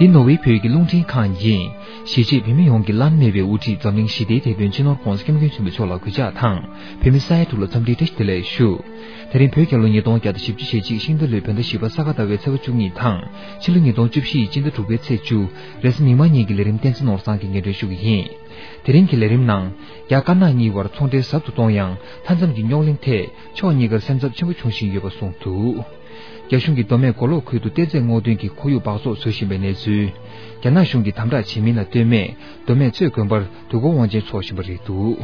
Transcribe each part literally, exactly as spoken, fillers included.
འདི་ནོར་ཝེ་བོད་ཀྱི་རླུང་འཕྲིན་ཁང་ཡིན། གཞིས་བྱེས་བོད་མི་ཡོངས་ཀྱི་བླ་ན་མེད་པའི་དབུ་ཁྲིད་འཛམ་གླིང་ཞི་བདེའི་དེད་དཔོན་སྤྱི་ནོར་༧གོང་ས་༧སྐྱབས་མགོན་ཆེན་པོ་མཆོག་ལ་གུས་ཕྱག་དང་། བོད་མི་ས་ཡ་དྲུག་ལ་འཚམས་འདྲིའི་བཀྲ་ཤིས་བདེ་ལེགས་ཞུ། དེ་རིང་བོད་རྒྱལ་ལོ་ཉིས་སྟོང་བརྒྱ་དང་བཞི་བཅུ་ཞེ་གཅིག་ཤིང་རྟ་ལོའི་བོད་ཟླ་བཞི་པ་ས་ག་ཟླ་བའི་ཚེས་པ་བཅུ་གཉིས་དང་། ཕྱི་ལོ་ཉིས་སྟོང་བཅུ་བཞི་ཡི་སྤྱི་ཟླ་དྲུག་པའི་ཚེས་བཅུ། རེས་གཟའ་མིག་དམར་ཉིན་གྱི་ལས་རིམ་བསྟན་འཛིན་ནོར་བཟང་གིས་སྙན་སྒྲོན་ཞུ་གི་ཡིན། དེ་རིང་གི་ལས་རིམ་ནང་། རྒྱ་དཀར་ནག་གཉིས་བར་ཚོང་འབྲེལ་ཟབ་ཏུ་གཏོང་ཡང་། མཐའ་མཚམས་ཀྱི་རྙོག་གླེང་ཐད་ཕྱོགས་གཉིས་ཀར་སེམས་འཚབ་ཆེན་པོ་བྱུང་བཞིན་ཡོད་པ་གསུངས་འདུག་རྒྱ་གཞུང་གིས་མདོ་སྨད་མགོ་ལོག་ཁུལ་དུ་གཏེར་རྫས་སྔོག་འདོན་གྱི་ཁོར་ཡུག་འབག་བཙོག་བཟོ་བཞིན་པའི་གནས་ཚུལ། རྒྱ་ནག་གཞུང་གིས་དམ་དྲག་བྱེད་མིན་ལ་ལྟོས་མེད་མདོ་སྨད་གཙོས་དགོན་པར་དུས་འཁོར་དབང་ཆེན་འཚོགས་བཞིན་པ་རེད་འདུག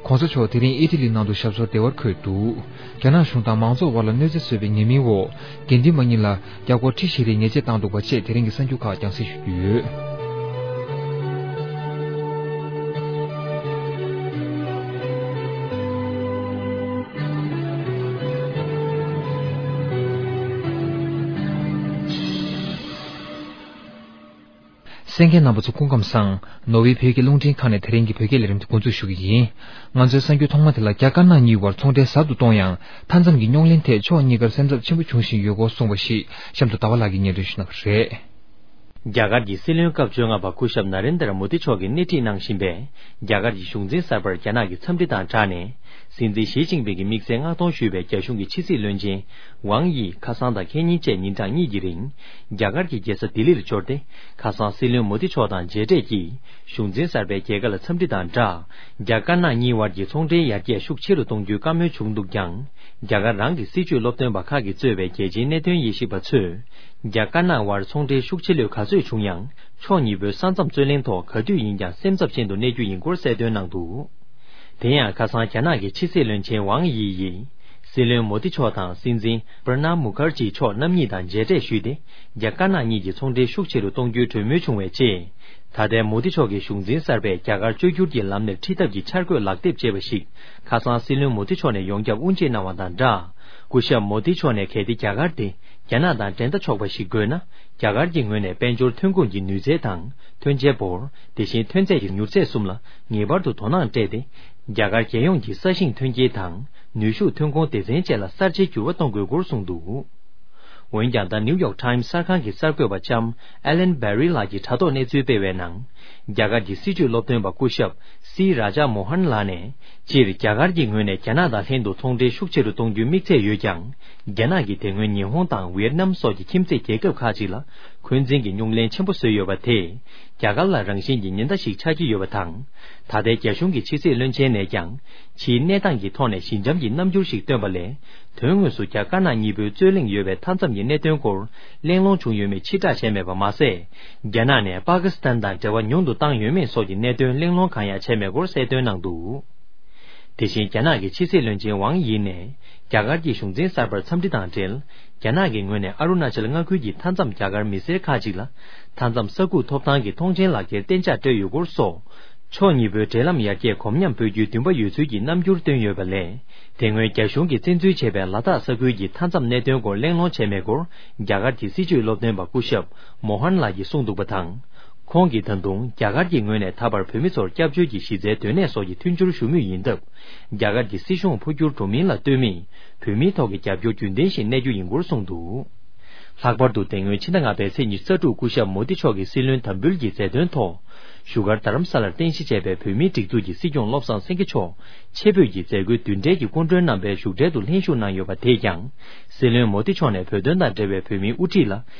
ྋགོང་ས་མཆོག་དེ་རིང་ཨི་ཊ་ལི་ནང་དུ་ཞབས་སོར་བདེ་བར་འཁོད་འདུག་རྒྱ་ནག་གཞུང་དང་མང་ཚོགས་དབར་ལ་གནོད་འཚེ་བཟོས་པའི་ཉེས་མིང་འོག་དགེ་འདུན་པ་གཉིས་ལ་རྒྱ་སྒོར་ཁྲི་བཞི་རེའི་ཉེས་ཆད་བཏང་འདུག་པ་བཅས་དེ་རིང་གི་གསར་འགྱུར་ཁག་རྒྱང་སྲིང་ཞུ་རྒྱུ་ཡོད། གསན་མཁན་རྣམ་པ་ཚོ་སྐུ་ཁམས་བཟང་། ནོར་ཝེ་བོད་ཀྱི་རླུང་འཕྲིན་ཁང་ནས་དེ་རིང་གི་བོད་སྐད་ལས་རིམ་དེ་འགོ་འཛུགས་ཞུ་གི་ཡིན། ང་ཚོའི་གསར་འགྱུར་ཐོག་མ་དེ་ལ། རྒྱ་དཀར་ནག་གཉིས་བར་ཚོང་འབྲེལ་ཟབ་ཏུ་གཏོང་ཡང་། མཐའ་མཚམས་ཀྱི་རྙོག་གླེང་ཐད་ཕྱོགས་གཉིས་ཀར་སེམས་འཚབ་ཆེན་པོ་བྱུང་བཞིན་ཡོད་སྐོར་གསུངས་པ་ཞིག་གཤམ་དུ་ཟླ་བ་ལགས་ཀྱིས་སྙན་སྒྲོན་ཞུ་གནང་བ་རེད། རྒྱ་གར་གྱི་སྲིད་བློན་སྐབས་བཅོ་ལྔ་པ་སྐུ་ཞབས་ན་རེན་དར་མོ་དི་མཆོག་གིས་སྣེ་ཁྲིད་གནང་བཞིན་པའི་རྒྱ་གར་གྱི་གཞུང་འཛིན་གསར་པར་རྒྱ་ནག་གི་འཚམས་འདྲི་དང་སྦྲགས་ནས། སྲིད་འཛིན་ཞི་ཅིན་ཕིང་གི་དམིགས་བསལ་མངགས་གཏོང་ཞུས་པའི་རྒྱ་གཞུང་གི་ཕྱི་སྲིད་བློན་ཆེན་ཝང་དབྱི་ཁ་སང་དང་ཁེ་ཉིན་བཅས་ཉིན་གྲངས་གཉིས་ཀྱི་རིང་། རྒྱ་གར་གྱི་རྒྱལ་ས་ལྡི་ལིར་འབྱོར་ཏེ། ཁ་སང་སྲིད་བློན་མོ་དི་མཆོག་དང་མཇལ་འཕྲད་ཀྱིས། གཞུང་འཛིན་གསར་པའི་རྒྱལ་ཁ་ལ་འཚམས་འདྲི་དང་སྦྲགས། རྒྱ་དཀར་ནག་གཉིས་དབར་གྱི་ཚོང་འབྲེལ་ཡར་རྒྱས་ཤུགས་ཆེ་རུ་གཏོང་རྒྱུའི་བཀའ་མོལ་བྱུང་འདུག་ཀྱང་། རྒྱ་གར་རང་གི་སྲིད་བྱུས་སློབ་སྟོན་པ་ཁག་གིས་གཙོས་པའི་རྒྱལ་སྤྱིའི་གནད་དོན་དབྱེ་ཞིབ་པ་ཚོས། རྒྱ་དཀར་ནག་དབར་ཚོང་འབྲེལ་ཤུགས་ཆེ་ལོས་ག་ཚོད་བྱུང་ཡང་། ཕྱོགས་གཉིས་པོའི་ས་མཚམས་རྩོད་གླེང་ཐོག་ག་དུས་ཡིན་ཀྱང་སེམས་འཚབ་ཅན་དུ་གནས་རྒྱུ་ཡིན་སྐོར་གསལ་སྟོན་གནང་འདུག་དེ་ཡང་ཁ་སང་རྒྱ་ནག་གི་ཕྱི་སྲིད་བློན་ཆེན་ཝང་དབྱི་ཡིས། སྲིད་བློན་མོ་དི་མཆོག་དང་སྲིད་འཛིན་པྲ་ནཱབ་མུ་ཁར་ཇི་མཆོག་རྣམ་གཉིས་དང་མཇལ་འཕྲད་ཞུས་ཏེ། རྒྱ་དཀར་ནག་གཉིས་ཀྱི་ཚོང་འབྲེལ་ཤུགས་ཆེ་རུ་གཏོང་རྒྱུའི་གྲོས་མོལ་བྱུང་བའི་རྗེས། ད་ལྟའི་མོ་དི་མཆོག་གིས་གཞུང་འཛིན་གསར་པས་རྒྱ་གར་བཅོས་བསྒྱུར་གྱི་ལམ་ནས་ཁྲིད་ཐབས་ཀྱི་འཆར་འགོད་ལག་དེབ་ཅེས་པ་ཞིག་ཁ་སང་སྲིད་བློན་མོ་དི་མཆོག་ནས་ཡོངས་ཁྱབ་དབུ་འབྱེད་གནང་བ་དང་སྦྲགས། སྐུ་ཞབས་མོ་དི་མཆོག་ནས་གལ་ཏེ་རྒྱ་གར་དེ་རྒྱ་ནག་དང་འགྲན་ཟླ་ཆོག་པ་ཞིག་དགོས་ན། རྒྱ་གར་གྱི་ངོས་ནས་དཔལ་འབྱོར་ཐོན་ཁུངས་ཀྱི་ནུས་རྩལ་དང་ཐོན་འབྱེད་འབོར། དེ་བཞིན་ཐོན་རྫས་ཀྱི་མྱུར་ཚད་གསུམ་ལ་ངེས་པར་དུ་དོ་སྣང་སྤྲད་དེ། རྒྱ་གར་རྒྱལ་ཡོངས་ཀྱི་ས་ཞིང་ཐོན་སྐྱེད་དང་ནུས་ཤུགས་ཐོན་ཁུངས་སྡེ་ཚན་བཅས་ལ་གསར་བརྗེའི་འགྱུར་བ་གཏོང་དགོས་སྐོར་གསུངས་འདུག་འོན་ཀྱང་། ད་ནིའུ་ཡོག་ཊའིམ་གསར་ཁང་གི་གསར་འགོད་པ་ལྕམ་ཨེ་ལན་བེ་རི་ལགས་ཀྱིས་དྲ་ཐོག་གནས་ཚུལ་སྤེལ་བའི་ནང་། རྒྱ་གར་གྱི་སྲིད་བྱུས་སློབ་སྟོན་པ་སྐུ་ཞབས་སི་རཱ་ཇཱ་མོ་ཧན་ལགས་ནས། སྤྱིར་རྒྱ་གར་གྱི་ངོས་ནས་རྒྱ་ནག་དང་ལྷན་དུ་ཚོང་འབྲེལ་ཤུགས་ཆེ་རུ་གཏོང་རྒྱུའི་དམིགས་ཚད་ཡོད་ཀྱང་། རྒྱ་ནག་གིས་དེ་སྔོན་ཉི་ཧོང་དང་ཝི་ཡེད་ནམ་སོགས་ཀྱི་ཁྱིམ་མཚེས་རྒྱལ་ཁབ་ཁག་ཅིག་ལ་འཁོན་འཛིན་གྱི་རྙོག་གླེང་ཆེན་པོ་བཟོས་ཡོད་པ་དེས། རྒྱ་གར་ལ་རང་བཞིན་གྱི་ཉེན་བརྡ་ཞིག་ཆགས་ཀྱི་ཡོད་པ་དང་། ད་ལྟའི་རྒྱ་གཞུང་གི་ཕྱི་སྲིད་བློན་ཆེན་ནས་ཀྱང་། ཕྱིའི་གནས་སྟངས་ཀྱི་ཐོག་ནས་ཞི་འཇམ་གྱི་རྣམ་འགྱུར་ཞིག་བཏོན་པ་ལས། དོན་དངོས་སུ་རྒྱ་དཀར་ནག་གཉིས་པོའི་རྩོད་གླེང་ཡོད་པའི་མཐའ་མཚམས་ཀྱི་གནད་དོན་སྐོར་གླེང་སློང་བྱུང་ཡོད་མེད་ཕྱིར་བསྒྲགས་བྱས་མེད་པ་མ་ཟད། རྒྱ་ནག་ནས་པ་ཀི་སི་ཐན་དང་འབྲེལ་བ་ཉུང་དུ་བཏང་ཡོད་མེད་སོགས་ཀྱི་གནད་དོན་གླེང་སློང་གང་ཡང་བྱས་མེད་སྐོར་གསལ་སྟོན་གནང་འདུག་དེ་བཞིན་རྒྱ་ནག་གི་ཕྱི་སྲིད་བློན་ཆེན་ཝང་དབྱི་ནས་རྒྱ་གར་གྱི་གཞུང་འཛིན་གསར་པར་འཚམས་འདྲི་དང་འབྲེལ། རྒྱ་ནག་གི་ངོས་ནས་ཨ་རུ་ན་ཅལ་མངའ་ཁུལ་གྱི་མཐའ་མཚམས་རྒྱ་གར་མི་སེར་ཁག་ཅིག་ལ། མཐའ་མཚམས་ས་ཁུག་ཐོབ་ཐང་གི་མཐོང་མཆན་ལག་འཁྱེར་གཏན་འཇགས་སྤྲོད་ཡོད་སྐོར་སོགས། ཕྱོགས་གཉིས་པོའི་འབྲེལ་ལམ་ཡར་རྒྱས་གོམ་ཉམས་སྤོ་རྒྱུའི་འདུན་པ་ཡོད་ཚུལ་གྱི་རྣམ་འགྱུར་བཏོན་ཡོད་པ་ལས། དེ་སྔོན་རྒྱ་གཞུང་གིས་བཙན་འཛུལ་བྱས་པའི་ལ་དྭགས་ས་ཁུལ་གྱི་མཐའ་མཚམས་གནད་དོན་སྐོར་གླེང་སློང་བྱས་མེད་སྐོར། རྒྱ་གར་གྱི་སྲིད་བྱུས་སློབ་སྟོན་པ་སྐུ་ཞབས་མོ་ཧན་ལགས་ཀྱིས་གསུངས་འདུག་པ་དང་། ཁོང་གིས་ད་དུང་རྒྱ་གར་གྱི་ངོས་ནས་ད་བར་བོད་མི་ཚོར་སྐྱབས་བཅོལ་གྱི་གཞི་རྩའི་སྡོད་གནས་སོགས་ཀྱི་མཐུན་འགྱུར་ཞུ་མུས་ཡིན་སྟབས། རྒྱ་གར་གྱི་སྲིད་གཞུང་འཕོ་འགྱུར་འགྲོ་མིན་ལ་ལྟོས་མེད། བོད་མིའི་ཐོག་གི་རྒྱབ་སྐྱོར་རྒྱུན་ལྡན་ཞིག་གནས་རྒྱུ་ཡིན་སྐོར་གསུངས་འདུག་ལྷག་པར་དུ། དེ་སྔོན་ཕྱི་ཟླ་ལྔ་པའི་ཚེས་ཉི་ཤུ་རྩ་དྲུག་སྐུ་ཞབས་མོ་དི་མཆོག་གིས་སྲིད་བློན་དམ་འབུལ་གྱི་མཛད་དོན་ཐོག་བཞུགས་སྒར་རྡ་རམ་ས་ལར་རྟེན་གཞི་བྱས་པའི་བོད་མིའི་སྒྲིག་འཛུགས་ཀྱི་སྲིད་སྐྱོང་བློ་བཟང་སེང་གེ་མཆོག་ཆེད་ཕེབས་ཀྱིས་མཛད་སྒོའི་མདུན་གྲལ་གྱི་སྐུ་མགྲོན་རྣམ་པའི་བཞུགས་གྲལ་དུ་ལྷན་ཞུགས་གནང་ཡོད་པ་དེས་ཀྱང་། སྲིད་བློན་མོ་དི་མཆོག་ནས་བོད་དོན་དང་འབྲེལ་བའི་བོད་མིའི་དབུ་ཁྲིད་ལ་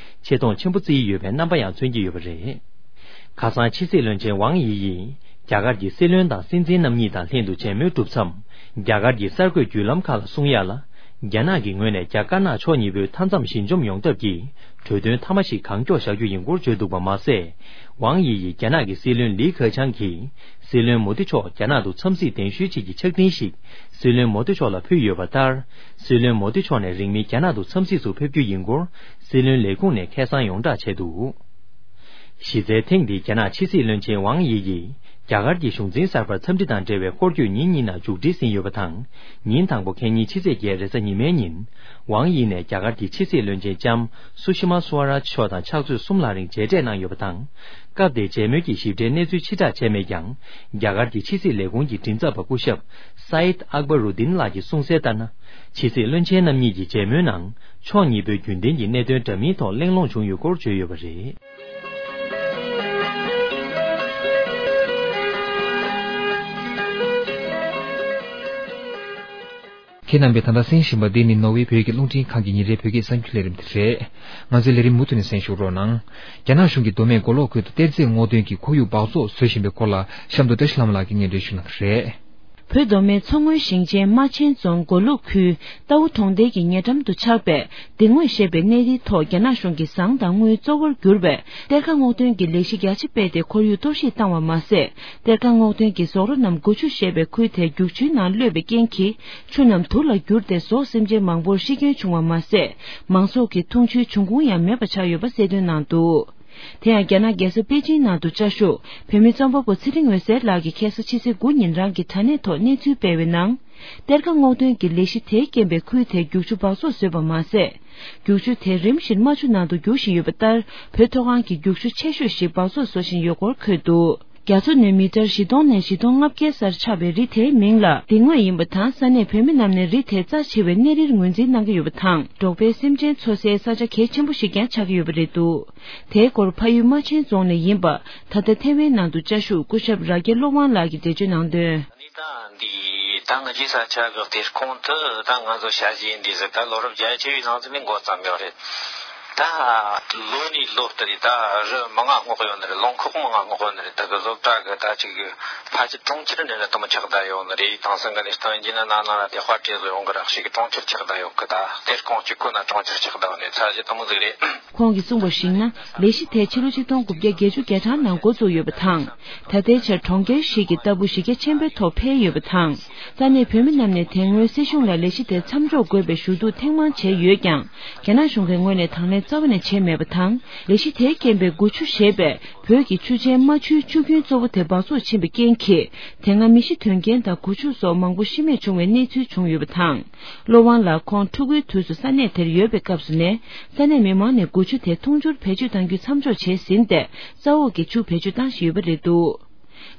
ཆེ་མཐོང་ཆེན་པོ་བརྩི་ཡི་ཡོད་པའི་རྣམ་པ་ཡང་མཚོན་གྱི་ཡོད་པ་རེད། ཁ་སང་ཕྱི་སྲིད་བློན་ཆེན་ཝང་དབྱི་ཡིས། རྒྱ་གར་གྱི་སྲིད་བློན་དང་སྲིད་འཛིན་རྣམ་གཉིས་དང་ལྷན་དུ་མཇལ་མོལ་གྲུབ་མཚམས། རྒྱ་གར་གྱི་གསར་འགོད་བརྒྱུད་ལམ་ཁག་ལ་གསུང་ཡག་ལ། རྒྱ་ནག་གི་ངོས་ནས་རྒྱ་དཀར་ནག་ཕྱོགས་གཉིས་པོའི་མཐའ་མཚམས་ཞི་འཇམ་ཡོང་ཐབས་ཀྱི་གྲོས་མཐུན་མཐའ་མ་ཞིག་གང་མགྱོགས་བཞག་རྒྱུ་ཡིན་སྐོར་བརྗོད་འདུག་པ་མ་ཟད། ཝང་དབྱི་ཡིས་རྒྱ་ནག་གི་སྲིད་བློན་ལི་ཁེ་ཆང་གིས་སྲིད་བློན་མོ་དི་མཆོག་རྒྱ་ནག་ཏུ་འཚམས་གཟིགས་གདན་ཞུའི་ཆེད་ཀྱི་ཕྱག་འཕྲིན་ཞིག་སྲིད་བློན་མོ་དི་མཆོག་ལ་ཕུལ་ཡོད་པ་ལྟར། སྲིད་བློན་མོ་དི་མཆོག་ནས་རིང་མིན་རྒྱ་ནག་ཏུ་འཚམས་གཟིགས་སུ་ཕེབས་རྒྱུ་ཡིན་སྐོར་སྲིད་བློན་ལས་ཁུངས་ནས་ཁ་སང་ཡོངས་བསྒྲགས་བྱས་འདུག་གཞི་རྩའི་ཐེངས་འདིའི་རྒྱ་ནག་ཕྱི་སྲིད་བློན་ཆེན་ཝང་དབྱི་ཡིས། རྒྱ་གར་གྱི་གཞུང་འཛིན་གསར་པར་འཚམས་འདྲི་དང་འབྲེལ་བའི་སྐོར་སྐྱོད་ཉིན་གཉིས་ནང་མཇུག་སྒྲིལ་ཟིན་ཡོད་པ་དང་། ཉིན་དང་པོ་ཁེ་ཉིན་ཕྱི་ཚེས་བརྒྱད་རེས་གཟའ་ཉི་མའི་ཉིན། ཝང་དབྱི་ནས་རྒྱ་གར་གྱི་ཕྱི་སྲིད་བློན་ཆེན་ལྕམ་སུ་ཤི་མ་སུ་ཝ་རཱཇ་མཆོག་དང་ཕྱག་ཚོད་གསུམ་ལྷག་རིང་མཇལ་འཕྲད་གནང་ཡོད་པ་དང་། སྐབས་དེའི་མཇལ་མོལ་གྱི་ཞིབ་ཕྲའི་གནས་ཚུལ་ཕྱིར་བསྒྲགས་བྱས་མེད་ཀྱང་། རྒྱ་གར་གྱི་ཕྱི་སྲིད་ལས་ཁུངས་ཀྱི་མགྲིན་ཚབ་པ་སྐུ་ཞབས་སཱ་ཡིད་ཨག་བ་རུ་དིན་ལགས་ཀྱིས་གསུངས་གསལ་ལྟར་ན། ཕྱི་སྲིད་བློན་ཆེན་རྣམ་གཉིས་ཀྱི་མཇལ་མོལ་ནང་། ཕྱོགས་གཉིས་པོའི་རྒྱུན་ལྡན་གྱི་གནད་དོན་འདྲ་མིན་ཐོག་གླེང་སློང་བྱུང་ཡོད་སྐོར་བརྗོད་ཡོད་པ་རེད། ཁྱེད་རྣམ་པས་ད་ལྟ་གསན་བཞིན་པ་འདི་ནི་ནོར་ཝེ་བོད་ཀྱི་རླུང་འཕྲིན་ཁང་གི་ཉིན་རེའི་བོད་སྐད་གསར་འགྱུར་ལས་རིམ་དེ་རེད། ང་ཚོའི་ལས་རིམ་མུ་མཐུད་ནས་གསན་ཞུ་རོགས་གནང་། རྒྱ་ནག་གཞུང་གིས་མདོ་སྨད་མགོ་ལོག་ཁུལ་དུ་གཏེར་རྫས་སྔོག་འདོན་གྱི་ཁོར་ཡུག་སྦགས་བཙོག་བཟོ་བཞིན་པའི་སྐོར་ལ་གཤམ་དུ་བཀྲ་ཤིས་ལྷ་མོ་ལགས་ཀྱིས་སྙན་སྒྲོན་ཞུ་གནང་གི་རེད། བོད་མདོ་སྨད་མཚོ་སྔོན་ཞིང་ཆེན་རྨ་ཆེན་རྫོང་མགོ་ལུག་ཁུལ་རྟའུ་གྲོང་རྡལ་གྱི་ཉེ་འགྲམ་དུ་ཆགས་པའི་གདིང་དངོས་ཞེས་པའི་གནས་རིའི་ཐོག་རྒྱ་ནག་གཞུང་གིས་ཟངས་དང་དངུལ་གཙོ་བོར་གྱུར་པའི་གཏེར་ཁ་སྔོག་འདོན་གྱི་ལས་གཞི་རྒྱ་ཆེ་སྤེལ་ཏེ་ཁོར་ཡུག་གཏོར་བཤིག་བཏང་བ་མ་ཟད། གཏེར་ཁ་སྔོག་འདོན་གྱི་ཟོག་རོ་རྣམས་དགུ་ཆུ་ཞེས་པའི་ཁུལ་དེའི་རྒྱུག་ཆུའི་ནང་གློད་པའི་རྐྱེན་གྱིས་ཆུ་རྣམས་དུག་ལ་གྱུར་ཏེ་ཟོག་སེམས་ཅན་མང་པོར་ཤི་སྐྱོན་བྱུང་བ་མ་ཟད། མང་ཚོགས་ཀྱི་འཐུང་ཆུའི་འབྱུང་ཁུངས་ཡང་མེད་པ་ཆགས་ཡོད་པ་གསལ་སྟོན་གནང་འདུག་དེ་ཡང་རྒྱ་ནག་རྒྱལ་ས་པེ་ཅིང་ནང་དུ་བཅའ་བཞུགས་བོད་མི་རྩོམ་པ་པོ་ཚེ་རིང་འོད་ཟེར་ལགས་ཀྱིས་ཁ་སང་ཕྱི་ཚེས་དགུ་ཉིན་རང་གི་དྲ་གནས་ཐོག་གནས་ཚུལ་སྤེལ་བའི་ནང་། གཏེར་ཁ་སྔོག་འདོན་གྱི་ལས་གཞི་དེའི་རྐྱེན་པས་ཁུལ་དེའི་རྒྱུག་ཆུ་སྦགས་བཙོག་བཟོས་པ་མ་ཟད། རྒྱུག་ཆུ་དེ་རིམ་བཞིན་རྨ་ཆུ་ནང་དུ་རྒྱུག་བཞིན་ཡོད་པ་ལྟར། བོད་མཐོ་སྒང་གི་རྒྱུག་ཆུ་ཆེ་ཤོས་ཤིག་སྦགས་བཙོག་བཟོ་བཞིན་ཡོད་སྐོར་འཁོད་འདུག་རྒྱ་མཚོ་ནས་མི་ཊར་བཞི་སྟོང་ནས་བཞི་སྟོང་ལྔ་བརྒྱའི་སར་ཆགས་པའི་རི་དེའི་མིང་ལ་གདིང་དངོས་ཡིན་པ་དང་། ས་གནས་བོད་མི་རྣམས་ནས་རི་དེ་རྩ་ཆེ་བའི་གནས་རིར་ངོས་འཛིན་གནང་གི་ཡོད་པ་དང་། འབྲོག་པའི་སེམས་ཅན་འཚོ་སའི་ས་ཆ་གལ་ཆེན་པོ་ཞིག་ཀྱང་ཆགས་ཀྱི་ཡོད་པ་རེད་འདུག་དེའི་སྐོར་ཕ་ཡུལ་རྨ་ཆེན་རྫོང་ནས་ཡིན་པ། ད་ལྟ་ཐེ་ཝན་ནང་དུ་བཅའ་བཞུགས་སྐུ་ཞབས་ར་སྐལ་བློ་དབང་ལགས་ཀྱིས་འགྲེལ་བརྗོད་གནང་དོན། ནི་ད་འདི་ད་ང་ཅི་ས་ཆ་གི་གཏེར་ཁུང་དུ་ད་ང་ཚོ་ཞ་ཞི་འདི་ཟེར་ད་ལོ་རབས་བརྒྱད་ཅུ་ཡི་ནང་ཚུད་ནས་འགོ་བརྩམས་ཡོད་རེད། ད་ལོ་ནས་ལོ་ལྟར་ད་རི་མང་ང་སྔོག་ཡོད་ནི་རེད། རླངས་ཁོག་མང་ང་སྔོག་ཡོད་ནི་རེད། ད་གི་བཟོ་གྲྭ་གི་ད་ཅིག་གི་ཕལ་ཆེར་གྲོང་ཁྱེར་ནས་རེད་དམ་ཆགས་ད་ཡོད་ནི་རེད། དེང་སང་གི་ནི་སྟོན་གྱི་ན་ན་ན་ར་དེ་དཔར་བྲིས་བཟོ་ཡོང་གི་རག་ཤིག་གྲོང་ཁྱེར་ཆགས་ད་ཡོད་གི། ད་གཏེར་ཁུང་གཅིག་ཁོ་ན་གྲོང་ཁྱེར་ཆགས་ད་ཡོད་ནི་ཚ་ཞི་དམ་ཟིག་རེད། ཁོང་གིས་གསུངས་པར་གཞིགས་ན། ལས་གཞི་དེ་ཕྱི་ལོ་ཆིག་སྟོང་དགུ་བརྒྱ་བརྒྱད་ཅུ་གྱ་གྲངས་ནང་འགོ་བཙུགས་ཡོད་པ་དང་། ད་ལྟའི་ཆར་གྲོང་ཁྱེར་ཞིག་གི་ལྟ་བུ་གཞི་རྒྱ་ཆེན་པོའི་ཐོག་འཕེལ་ཡོད་པ་དང་། ས་གནས་བོད་མི་རྣམས་ནས་དེ་སྔོན་སྲིད་གཞུང་ལ་ལས་གཞི་དེ་མཚམས་འཇོག་དགོས་པའི་ཞུ་གཏུག་ཐེངས་མང་བྱས་ཡོད་ཀྱང་། རྒྱ་ནག་གཞུང་གི་ངོས་ནས་དང་ལེན་རྩ་བ་ནས་བྱས་མེད་པ་དང་། ལས་གཞི་དེའི་རྐྱེན་པས་དགུ་ཆུ་ཞེས་པའི་བོད་ཀྱི་ཆུ་ཆེན་རྨ་ཆུའི་ཆུ་རྒྱུན་གཙོ་བོ་དེ་སྦགས་བཙོག་ཕྱིན་པའི་རྐྱེན་གྱིས། དེ་སྔ་མི་ཤི་དོན་རྐྱེན་དང་དགུ་ཆུ་སོགས་མང་པོ་ཤི་རྨས་བྱུང་བའི་གནས་ཚུལ་བྱུང་ཡོད་པ་དང་། བློ་དབང་ལགས་ཁོང་ཕྲུ་གུའི་དུས་སུ་ས་གནས་དེར་ཡོད་པའི་སྐབས་སུ་ནས། ས་གནས་མི་མང་ནས་དགུ་ཆུ་དེ་འཐུང་ཆུར་བེད་སྤྱོད་གཏང་རྒྱུ་མཚམས་འཇོག་བྱས་ཟིན་ཏེ། ས་འོག་གི་ཆུ་བེད་སྤྱོད་བཏང་བཞིན་ཡོད་པ་རེད་འདུག་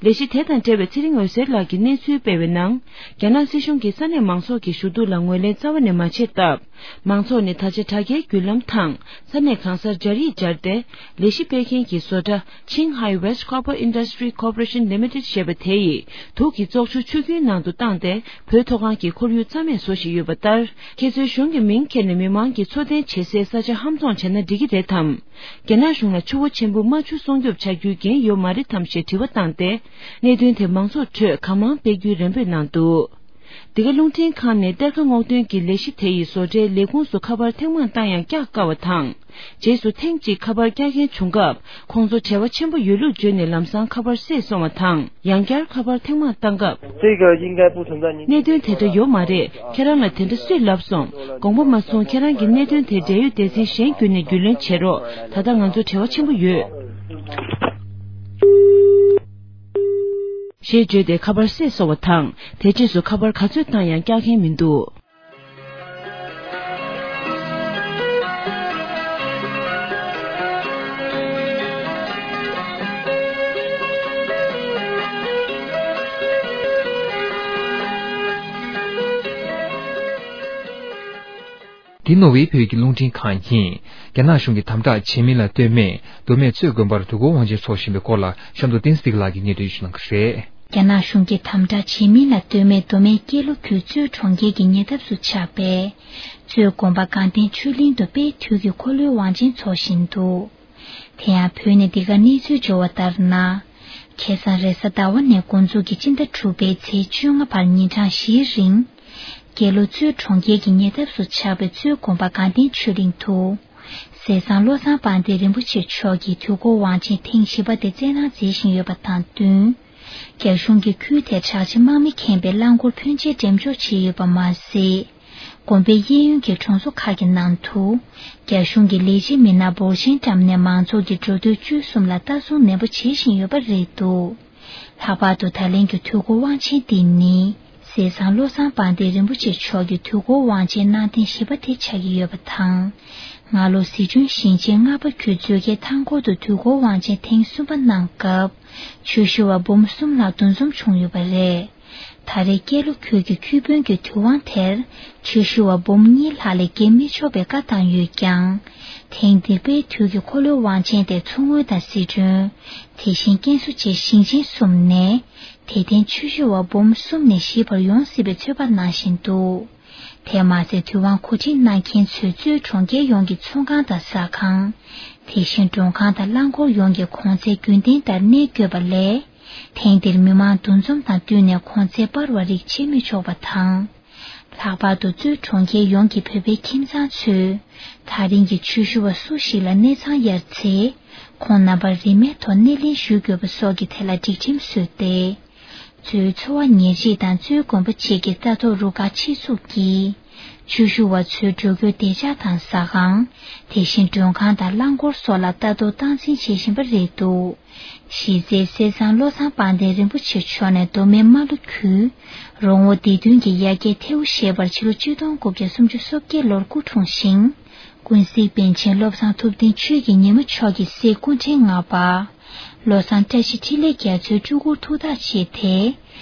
ལས་གཞི་དེ་དང་འབྲེལ་བའི་ཚེ་རིང་འོད་ཟེར་ལགས་ཀྱིས་གནས་ཚུལ་སྤེལ་བའི་ནང་། རྒྱ་ནག་སྲིད་གཞུང་གིས་ས་གནས་མང་ཚོགས་ཀྱི་ཞུ་གཏུག་ལ་ངོས་ལེན་རྩ་བ་ནས་མ་བྱས་སྟབས། མང་ཚོགས་ནས་ད་ཆ་དྲ་རྒྱའི་བརྒྱུད་ལམ་དང་། ས་གནས་གང་སར་སྦྱར་ཡིག་སྦྱར་ཏེ། ལས་གཞི་སྤེལ་མཁན་གྱི་བཟོ་གྲྭ་Qinghai West Copper Industry Corporation Limited ཞེས་པ་དེ་ཡིས་དུག་གི་བཙོག་ཆུ་ཆུ་རྒྱུན་ནང་དུ་བཏང་སྟེ། བོད་མཐོ་སྒང་གི་ཁོར་ཡུག་རྩ་མེད་བཟོ་བཞིན་ཡོད་པ་ལྟར། ཁྱེད་ཚོའི་གཞུང་གི་མིང་འཁྱེར་ནས་མི་མང་གིས་འཚོ་རྟེན་བྱེད་སའི་ས་ཆ་ཧམ་བཟུང་བྱས་ན་འགྲིག་གི་རེད་དམ། རྒྱ་ནག་གཞུང་ལ་ཆུ་བོ་ཆེན་པོ་རྨ་ཆུ་སྲུང་སྐྱོབ་བྱ་རྒྱུའི་འགན་ཡོད་མ་རེད་དམ་ཞེས་དྲི་བ་བཏང་སྟེ། གནད་དོན་དེ་མང་ཚོགས་ཁྲོད་གང་མང་སྤེལ་རྒྱུའི་རེ་འབོད་གནང་འདུག་འདི་ག་རླུང་འཕྲིན་ཁང་ནས་གཏེར་ཁ་སྔོག་འདོན་གྱི་ལས་གཞི་དེ་ཡི་བཟོ་གྲྭའི་ལས་ཁུངས་སུ་ཁ་པར་ཐེངས་མང་བཏང་ཡང་བཀྱག་དཀའ་བ་དང་། རྗེས་སུ་ཐེངས་གཅིག་ཁ་པར་བཀྱག་མཁན་བྱུང་སྐབས། ཁོང་ཚོ་བྲེལ་བ་ཆེན་པོ་ཡོད་ལུགས་བརྗོད་ནས་ལམ་སང་ཁ་པར་བསད་སོང་བ་དང་། ཡང་བསྐྱར་ཁ་པར་ཐེངས་མང་བཏང་སྐབས། 这个应该不存在您 གནད་དོན་དེ་འདྲ་ཡོད་མ་རེད། ཁྱེད་རང་ལ་དེ་འདྲ་སུས་ལབ་སོང་། དགོངས་པ་མ་ཚོམ། ཁྱེད་རང་གི་གནད་དོན་དེ་འབྲེལ་ཡོད་སྡེ་ཚན་གཞན་བརྒྱུད་ནས་རྒྱུས་ལོན་བྱེད་རོགས། ད་ལྟ་ང་ཚོ་བྲེལ་བ་ཆེན་པོ་ཡོད། ཞེས་བརྗོད་དེ་ཁ་པར་བསད་སོང་བ་དང་། དེ་རྗེས་སུ་ཁ་པར་ག་ཚོད་བཏང་ཡང་བཀྱག་མཁན་མི་འདུག་འདི་ནོར་ཝེ་བོད་ཀྱི་རླུང་འཕྲིན་ཁང་ཡིན། རྒྱ་ནག་གཞུང་གིས་དམ་དྲག་བྱེད་མིན་ལ་ལྟོས་མེད་མདོ་སྨད་གཙོས་དགོན་པར་དུས་འཁོར་དབང་ཆེན་འཚོགས་བཞིན་པའི་སྐོར་ལ་གཤམ་དུ་བསྟན་འཛིན་བདེ་སྐྱིད་ལགས་ཀྱིས་སྙན་སྒྲོན་ཞུ་གནང་གི་རེད། རྒྱ་ནག་གཞུང་གིས་དམ་དྲག་བྱེད་མིན་ལ་ལྟོས་མེད་མདོ་སྨད་ཀན་ལྷོ་ཁུལ་གཙོས་གྲོང་ཁྱེར་གྱི་ཉེ་འདབས་སུ་ཆགས་པའི་གཙོས་དགོན་པ་དགའ་ལྡན་ཆོས་གླིང་དུ་དཔལ་དུས་ཀྱི་འཁོར་ལོའི་དབང་ཆེན་འཚོགས་བཞིན་འདུག་དེ་ཡང་བོད་ནས་འདི་ག་གནས་ཚུལ་འབྱོར་བ་ལྟར་ན། ཁ་སང་རེས་གཟའ་ཟླ་བ་ནས་འགོ་འཛུགས་ཀྱིས་སྤྱི་ཟླ་དྲུག་པའི་ཚེས་བཅོ་ལྔ་བར་ཉིན་གྲངས་བཞིའི་རིང་། རྒྱལ་ལོ་གཙོས་གྲོང་ཁྱེར་གྱི་ཉེ་འདབས་སུ་ཆགས་པའི་གཙོས་དགོན་པ་དགའ་ལྡན་ཆོས་གླིང་དུ། ཟས་གཙང་བློ་བཟང་དཔལ་ལྡན་རིན་པོ་ཆེ་མཆོག་གིས་དུས་འཁོར་དབང་ཆེན་ཐེངས་བཞི་པ་དེ་སྩལ་གནང་མཛད་བཞིན་ཡོད་པ་དང་བསྟུན། རྒྱ་གཞུང་གིས་ཁུལ་དེར་དྲག་ཆས་དམག་མི་ཁེངས་པའི་རླངས་འཁོར་ཕོན་ཆེ་འགྲེམས་འཇོག་བྱས་ཡོད་པ་མ་ཟད། དགོན་པའི་གཡས་གཡོན་གྱི་གྲོང་ཚོ་ཁག་གི་ནང་དུ། རྒྱ་གཞུང་གི་ལས་བྱེད་མི་སྣ་འབོར་ཆེན་བཀྲམ་ནས་མང་ཚོགས་ཀྱི་འགྲོ་སྡོད་སྤྱོད་གསུམ་ལ་ལྟ་སྲུང་ནན་པོ་བྱེད་བཞིན་ཡོད་པ་རེད་འདུག་ལྷག་པར་དུ་ད་ལན་གྱི་དུས་འཁོར་དབང་ཆེན་འདི་ནི། ཟས་གཙང་བློ་བཟང་དཔལ་ལྡན་རིན་པོ་ཆེ་མཆོག་གི་དུས་འཁོར་དབང་ཆེན་གནང་ཐེངས་བཞི་པ་དེ་ཆགས་ཀྱི་ཡོད་པ་དང་། སྔ་ལོ་ཟི་ལྗོན་ཞིང་ཆེན་རྔ་པ་ཁུལ་མཛོད་དཀར་མཐའ་འཁོར་དུ་དུས་འཁོར་དབང་ཆེན་ཐེངས་གསུམ་པ་གནང་སྐབས། ཆོས་ཞུ་བ་འབུམ་གསུམ་ལྷག་འདུ་འཛོམས་བྱུང་ཡོད་པ་རེད། ད་རེས་ཀན་ལྷོ་ཁུལ་གྱི་ཁུལ་དཔོན་གྱི་དུས་དབང་དེར་ཆོས་ཞུ་བ་འབུམ་གཉིས་ལྷག་ལས་བརྒལ་མི་ཆོག་པའི་བཀའ་བཏང་ཡོད་ཀྱང་། ཐེངས་འདིར་དཔལ་དུས་ཀྱི་འཁོར་ལོའི་དབང་ཆེན་དེ་མཚོ་སྔོན་དང་ཟི་ཁྲོན། དེ་བཞིན་ཀན་སུའུ་བཅས་ཞིང་ཆེན་གསུམ་ནས་དད་ལྡན་ཆོས་ཞུ་བ་འབུམ་གསུམ་ནས་ཞིབ་པར་ཡོང་སྲིད་པའི་ཚོད་དཔག་གནང་བཞིན་འདུག་དེ་མ་ཟད། དུས་དབང་གོ་སྒྲིག་གནང་མཁན་ཚོས་གཙོས་གྲོང་ཁྱེར་ཡོངས་ཀྱི་ཚོང་ཁང་དང་ཟ་ཁང་། དེ་བཞིན་མགྲོན་ཁང་དང་རླངས་འཁོར་ཡོངས་ཀྱི་གོང་ཚད་རྒྱུན་ལྡན་ལྟར་གནས་དགོས་པ་ལས། ཐེངས་འདིར་མི་མང་འདུ་འཛོམས་དང་བསྟུན་ནས་གོང་ཚད་སྤར་བ་རིགས་བྱེད་མི་ཆོག་པ་དང་། ལྷག་པར་དུ་གཙོས་གྲོང་ཁྱེར་ཡོངས་ཀྱི་བོད་པའི་ཁྱིམ་ཚང་ཚོས། ད་རིང་གི་ཆོས་ཞུ་བ་སུ་ཞིག་ལ་གནས་ཚང་གཡར་ཚེ། ཁོང་རྣམ་པར་རིན་མེད་ཐོག་སྣེ་ལེན་ཞུ་དགོས་པ་སོགས་ཀྱི་ཐད་ལ་སྒྲིག་ཁྲིམས་བཟོས་ཏེ། གཙོས་འཚོ་བ་ཉེར་གཅིག་དང་གཙོས་དགོན་པ་བཅས་ཀྱི་ལྟ་རྟོག་རུ་ཁག་ཆེད་འཛུགས་ཀྱིས། ཆོས་ཞུ་བ་ཚོའི་འགྲོ་སྐྱོད་བདེ་འཇགས་དང་ཟ་ཁང་། དེ་བཞིན་མགྲོན་ཁང་དང་རླངས་འཁོར་སོགས་ལ་ལྟ་རྟོག་སྟངས་འཛིན་བྱེད་བཞིན་པ་རེད་འདུག་གཞི་རྩའི་གསེར་ཟངས་བློ་བཟང་དཔལ་ལྡན་རིན་པོ་ཆེ་མཆོག་ནས་མདོ་སྨད་རྨ་ལྷོ་ཁུལ་རོང་བོ་སྡེ་བདུན་གྱི་ཡ་གྱལ་ཐེའུ་ཞེས་པར་ཕྱི་ལོ་ཆིག་སྟོང་དགུ་བརྒྱ་སུམ་ཅུ་སོ་བརྒྱད་ལོར་སྐུ་འཁྲུངས་ཤིང་། ཀུན་གཟིགས་པཎ་ཆེན་བློ་བཟང་ཐུབ་བསྟན་ཆོས་ཀྱི་ཉི་མ་མཆོག་གི་སྲས་སྐུ་ཕྲེང་ལྔ་པ། བློ་བཟང་བཀྲ་ཤིས་འཕྲིན་ལས་རྒྱ་མཚོའི་སྤྲུལ་སྐུར་ཐུགས་ཐག་བཅད་དེ།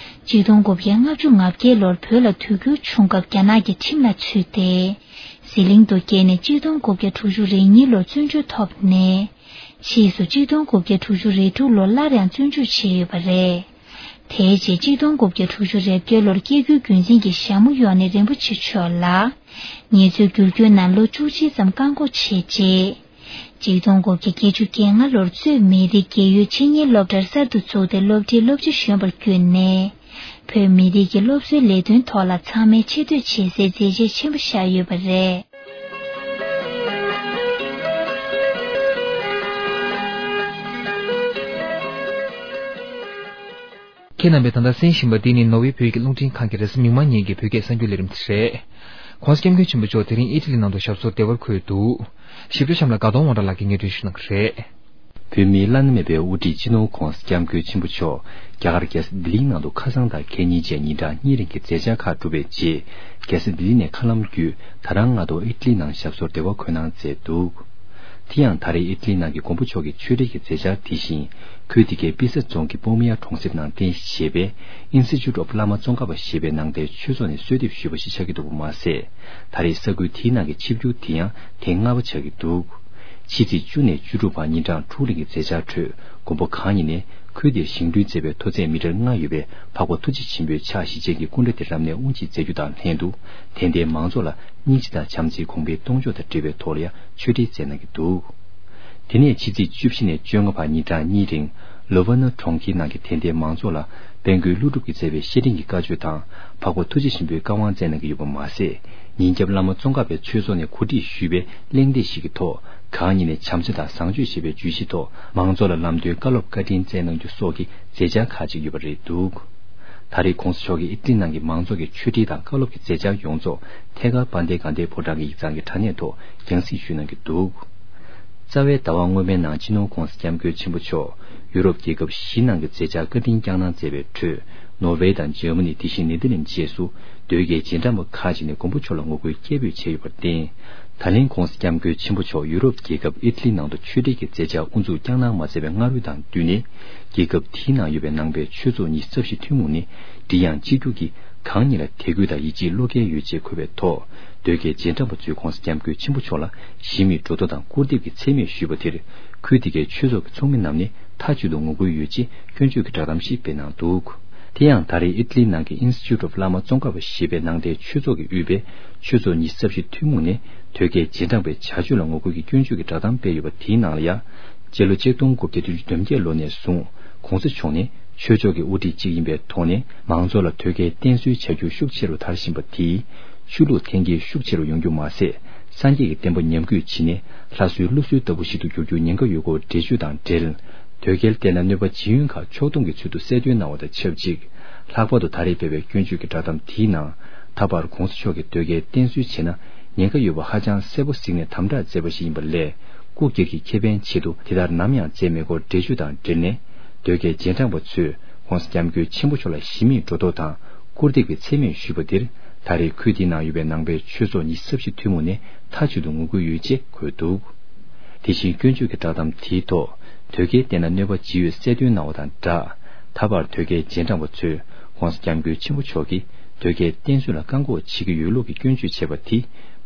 ཆིག་སྟོང་དགུ་བརྒྱ་ལྔ་བཅུ་ང་བརྒྱད་ལོར་བོད་ལ་དུས་འགྱུར་བྱུང་སྐབས་རྒྱ་ནག་གི་ཁྲིམས་ལ་ཚུད་དེ། ཟི་ལིང་དུ་བསྐྱལ་ནས་ཆིག་སྟོང་དགུ་བརྒྱ་དྲུག་ཅུ་རེ་གཉིས་ལོར་བཙོན་འཇུག་ཐོབ་ནས། ཕྱིས་སུ་ཆིག་སྟོང་དགུ་བརྒྱ་དྲུག་ཅུ་རེ་དྲུག་ལོར་སླར་ཡང་བཙོན་འཇུག་བྱས་ཡོད་པ་རེད། དེའི་རྗེས་ཆིག་སྟོང་དགུ་བརྒྱ་དྲུག་ཅུ་རེ་བརྒྱད་ལོར་སྐྱེ་རྒྱུའི་རྒྱུན་འཛིན་གྱི་ཞྭ་མོ་གཡོགས་ནས་རིན་པོ་ཆེ་མཆོག་ལ། ངལ་རྩོལ་བསྒྱུར་བཅོས་ནང་ལོ་བཅུ་གཅིག་ཙམ་བཀག་འགོག་བྱས་རྗེས། ཆིག་སྟོང་དགུ་བརྒྱ་བརྒྱད་ཅུ་གྱ་ལྔ་ལོར་གཙོས་མི་རིགས་རྒས་ཡོལ་ཆེད་གཉེར་སློབ་གྲྭར་གསར་དུ་བཙུགས་ཏེ་སློབ་གྲྭའི་སློབ་སྤྱི་གཞོན་པར་བསྐོས་ནས། བོད་མི་རིགས་ཀྱི་སློབ་གསོའི་ལས་དོན་ཐོག་ལ་ཚང་མས་ཆེ་བསྟོད་བྱེད་སའི་མཛད་རྗེས་ཆེན་པོ་བཞག་ཡོད་པ་རེད། ཁྱེད་རྣམ་པས་ད་ལྟ་གསན་བཞིན་པ་འདི་ནི་ནོར་ཝེ་བོད་ཀྱི་རླུང་འཕྲིན་ཁང་གི་རེས་གཟའ་མིག་དམར་ཉིན་གྱི་བོད་སྐད་གསར་འགྱུར་ལས་རིམ་དེ་རེད། ྋགོང་ས་ྋསྐྱབས་མགོན་ཆེན་པོ་མཆོག་དེ་རིང་ཨི་ཊ་ལི་ནང་དུ་ཞབས་སོར་བདེ་བར་འཁོད་འདུག་ཞིབ་ཕྲ་གཤམ་ལ་དགའ་གདོང་དབང་གྲགས་ལགས་ཀྱིས་སྙན་སྒྲོན་ཞུ་གནང་གི་རེད། བོད་མིའི་བླ་ན་མེད་པའི་དབུ་ཁྲིད་སྤྱི་ནོར་ྋགོང་ས་ྋསྐྱབས་མགོན་ཆེན་པོ་མཆོག་རྒྱ་གར་རྒྱལ་ས་ལྡི་ལིའི་ནང་དུ་ཁ་སང་དང་ཁ་ཉིན་བཅས་ཉིན་གྲངས་གཉིས་རིང་གི་མཛད་འཆར་ཁག་གྲུབ་པའི་རྗེས། རྒྱལ་ས་ལྡི་ལི་ནས་མཁའ་ལམ་བརྒྱུད་ད་རང་སྔ་དྲོ་ཨི་ཊ་ལི་ནང་ཞབས་སོར་བདེ་བར་འཁོད་གནང་མཛད་འདུག་དེ་ཡང་ད་རེས་ཨི་ཊ་ལི་ནང་གི་མགོན་པོ་མཆོག་གི་ཆོས་འབྲེལ་གྱི་མཛད་འཆར་དེ་བཞིན། ཁུལ་དེ་གའི་པི་ས་རྫོང་གི་པོ་མི་ཡ་གྲོང་གསེབ་ནང་རྟེན་གཞི་བྱས་པའི་Institute of Lama Tsongkhapa ཞེས་པའི་ནང་རྟེན་ཆོས་ཚོགས་ནས་གསོལ་འདེབས་ཞུས་པ་ཞིག་ཆགས་ཀྱི་འདུག་པ་མ་ཟད། ད་རེས་ས་ཁུལ་དེའི་ནང་གི་ཆིབས་བསྒྱུར་དེ་ཡང་ཐེངས་ལྔ་པ་ཆགས་ཀྱི་འདུག་ཕྱི་ཚེས་བཅུ་ནས་བཅུ་དྲུག་བར་ཉིན་གྲངས་དྲུག་རིང་གི་མཛད་འཆར་ཁྲོད། མགོན་པོ་གང་ཉིད་ནས་ཁུལ་དེར་བཞེངས་སྐྲུན་མཛད་པའི་མཐོ་ཚད་མི་ཊར་ལྔ་ཡོད་པའི་འཕགས་པ་ཐུགས་རྗེ་ཆེན་པོའི་ཕྱག་བཞི་ཅན་གྱི་སྐུ་འདྲ་དེ་རབ་གནས་དབུ་འབྱེད་མཛད་རྒྱུ་དང་ལྷན་དུ། དད་ལྡན་མང་ཚོགས་ལ་སྙིང་རྗེ་དང་བྱམས་བརྩེའི་གོང་འཕེལ་གཏོང་ཕྱོགས་དང་འབྲེལ་བའི་ཐོག་ལ་ཡང་ཆོས་འབྲེལ་སྩལ་གནང་གི་འདུག་དེ་ནས་ཕྱི་ཚེས་བཅུ་བཞི་ནས་བཅོ་ལྔ་བར་ཉིན་གྲངས་གཉིས་རིང་། ལོ་ཝ་ན་གྲོང་ཁྱེར་ནང་གི་དད་ལྡན་མང་ཚོགས་ལ་དཔལ་མགོན་ཀླུ་སྒྲུབ་ཀྱིས་མཛད་པའི་བཤེས་སྤྲིང་གི་བཀའ་ཆོས་དང་། འཕགས་པ་ཐུགས་རྗེ་ཆེན་པོའི་བཀའ་དབང་སྩལ་གནང་གི་ཡོད་པ་མ་ཟད། ཉིན་རྒྱབ་བླ་མ་ཙོང་ཁ་པའི་ཆོས་ཚོགས་ནས་གོ་སྒྲིག་ཞུས་པའི་གླེང་སྟེགས་ཤིག་གི་ཐོག་གང་ཉིད་ནས་བྱམས་བརྩེ་དང་བཟང་སྤྱོད་ཞེས་པའི་བརྗོད་གཞིའི་ཐོག་མང་ཚོགས་ལ་ལམ་སྟོན་བཀའ་སློབ་བཀའ་དྲིན་སྩལ་གནང་རྒྱུ་སོགས་ཀྱི་མཛད་འཆར་ཁག་ཅིག་ཡོད་པ་རེད་འདུག་ད་རེས་ྋགོང་ས་མཆོག་གིས་ཨི་ཊ་ལི་ནང་གི་མང་ཚོགས་ཀྱི་ཆོས་འབྲེལ་དང་བཀའ་སློབ་ཀྱི་མཛད་འཆར་ཡོངས་རྫོགས་ཐད་ཀར་དཔལ་ལྡན་དགའ་ལྡན་ཕོ་བྲང་གི་ཡིག་ཚང་གི་དྲ་གནས་ཐོག་རྒྱང་སྲིང་ཞུས་གནང་གི་འདུག་རྩ་བའི་ཟླ་བ་སྔོན་མའི་ནང་སྤྱི་ནོར་ྋགོང་ས་ྋསྐྱབས་མགོན་ཆེན་པོ་མཆོག་ཡུ་རོབ་རྒྱལ་ཁབ་བཞི་ནང་གི་མཛད་འཆར་བཀའ་དྲིན་བསྐྱངས་གནང་མཛད་པའི་ཁྲོད། ནོར་ཝེ་དང་འཇར་མ་ནི། དེ་བཞིན་ནེ་དར་ལེནཌ་བཅས་སུ་དོལ་རྒྱལ་རྗེས་འབྲང་པ་ཁག་ཅིག་ནས་མགོན་པོ་མཆོག་ལ་ངོ་རྒོལ་སྐད་འབོད་བྱས་ཡོད་པར་བརྟེན། ད་ལན་ྋགོང་ས་ྋསྐྱབས་མགོན་ཆེན་པོ་མཆོག་ཡུ་རོབ་རྒྱལ་ཁབ་ཨི་ཊ་ལི་ནང་དུ་ཆོས་འབྲེལ་གྱི་མཛད་འཆར་དབུ་འཛུགས་བསྐྱངས་གནང་མ་མཛད་པའི་སྔ་རོལ་དང་བསྟུན་ནས། རྒྱལ་ཁབ་དེའི་ནང་ཡོད་པའི་ནང་པའི་ཆོས་ཚོགས་ཉི་ཤུ་རྩ་བཞི་ཐུན་མོང་ནས་སྒྲིག་ཡངས་གཅིག་གྱུར་གྱིས་གང་ཉིད་ལ་དད་གུས་དང་ཡིད་ཆེས་བློ་འགེལ་ཡོད་ཅེས་འཁོད་པའི་ཐོག་དོལ་རྒྱལ་རྗེས་འབྲང་པ་ཚོས་ྋགོང་ས་ྋསྐྱབས་མགོན་ཆེན་པོ་མཆོག་ལ་ཞི་མོལ་སྒྲོ་འདོགས་དང་སྐུར་འདེབས་ཀྱི་མཚན་སྨད་ཞུས་པ་དེར། ཁུལ་དེ་གའི་ཆོས་ཚོགས་ཀྱི་ཚོགས་མི་རྣམས་ནས་མཐའ་གཅིག་ཏུ་ངོ་རྒོལ་ཡོད་ཅེས་སྐྱོན་བརྗོད་ཀྱི་བསྒྲགས་གཏམ་ཞིག་སྤེལ་གནང་འདུག་དེ་ཡང་ད་རེས་ཨི་ཊ་ལིའི་ནང་གི་Institute of Lama Tsongkhapa ཞེས་པའི་ནང་རྟེན་ཆོས་ཚོགས་ཀྱིས་དབུས་པའི་ཆོས་ཚོགས་ཉི་ཤུ་རྩ་བཞི་ཐུན་མོང་ནས་དོལ་རྒྱལ་རྗེས་འབྲང་པའི་བྱ་སྤྱོད་ལ་ངོ་རྒོལ་གྱི་སྐྱོན་བརྗོད་ཀྱི་བསྒྲགས་གཏམ་སྤེལ་ཡོད་པ་དེའི་ནང་ལ་ཡང་། སྤྱི་ལོ་ཆིག་སྟོང་དགུ་བརྒྱ་བདུན་ཅུ་དོན་བརྒྱད་ལོ་ནས་བཟུང་ྋགོང་ས་མཆོག་ནི་ཆོས་ཕྱོགས་ཀྱི་དབུ་ཁྲིད་ཅིག་ཡིན་པའི་ཐོག་ནས་མང་ཚོགས་ལ་དོལ་རྒྱལ་བསྟེན་གསོལ་བྱ་རྒྱུ་ཤུགས་ཆེ་རུ་དར་བཞིན་པ་དེས། ཆོས་ལུགས་འཐེན་འཁྱེར་ཤུགས་ཆེ་རུ་ཡོང་རྒྱུ་མ་ཟད། སངས་རྒྱས་ཀྱི་བསྟན་པ་ཉམས་རྒུད་ཕྱིན་ནས་ལྷ་གསོལ་ཀླུ་གསོལ་ལྟ་བུ་ཞིག་ཏུ་འགྱུར་རྒྱུའི་ཉེན་ཁ་ཡོད་སྐོར་འགྲེལ་བརྗོད་དང་འབྲེལ། དོལ་རྒྱལ་བསྟེན་ན་གནོད་པ་ཇི་ཡོང་ཁག་ཕྱོགས་སྡོམ་གྱི་ཚུལ་དུ་གསལ་སྟོན་གནང་བ་དང་ཆབས་ཅིག་ལྷག་པར་དུ་ད་རེས་སྤེལ་བའི་སྐྱོན་བརྗོད་ཀྱི་བསྒྲགས་གཏམ་དེའི་ནང་། ད་བར་ྋགོང་ས་མཆོག་གིས་དོལ་རྒྱལ་བསྟེན་གསོལ་བྱས་ན་ཉེན་ཁ་ཡོད་པ་ཧ་ཅང་གསལ་པོ་གཟིགས་ནས་དམ་དྲག་མཛད་པ་ཞིག་ཡིན་པ་ལས། སྐུ་སྒེར་གྱི་ཁེ་ཕན་ཆེད་དུ་དེ་ལྟར་ནམ་ཡང་མཛད་མེད་སྐོར་འགྲེལ་བརྗོད་དང་འབྲེལ་ནས། དོལ་རྒྱལ་རྗེས་འབྲང་པ་ཚོས་ྋགོང་ས་ྋསྐྱབས་མགོན་ཆེན་པོ་མཆོག་ལ་ཞི་མོལ་སྒྲོ་འདོགས་དང་སྐུར་འདེབས་ཀྱི་མཚན་སྨད་ཞུས་པ་དེར། ད་རེས་ཁུལ་དེའི་ནང་ཡོད་པའི་ནང་པའི་ཆོས་ཚོགས་ཉི་ཤུ་རྩ་བཞི་ཐུན་མོང་ནས་མཐའ་གཅིག་ཏུ་ངོ་རྒོལ་ཡོད་ཅེས་འཁོད་འདུག་དེ་བཞིན་སྐྱོན་བརྗོད་ཀྱི་བསྒྲགས་གཏམ་དེའི་ཐོག་དོལ་རྒྱལ་བསྟེན་ན་གནོད་པ་ཇི་ཡོད་གསལ་སྟོན་གནང་བ་དང་སྦྲགས། ད་བར་དོལ་རྒྱལ་རྗེས་འབྲང་པ་ཚོས་ྋགོང་ས་ྋསྐྱབས་མགོན་ཆེན་པོ་མཆོག་གིས་དོལ་རྒྱལ་བསྟེན་གསོལ་ལ་བཀག་འགོག་བྱེད་ཀྱི་ཡོད་ལུགས་ཀྱི་སྐྱོན་བརྗོད་བྱས་པ་དེ་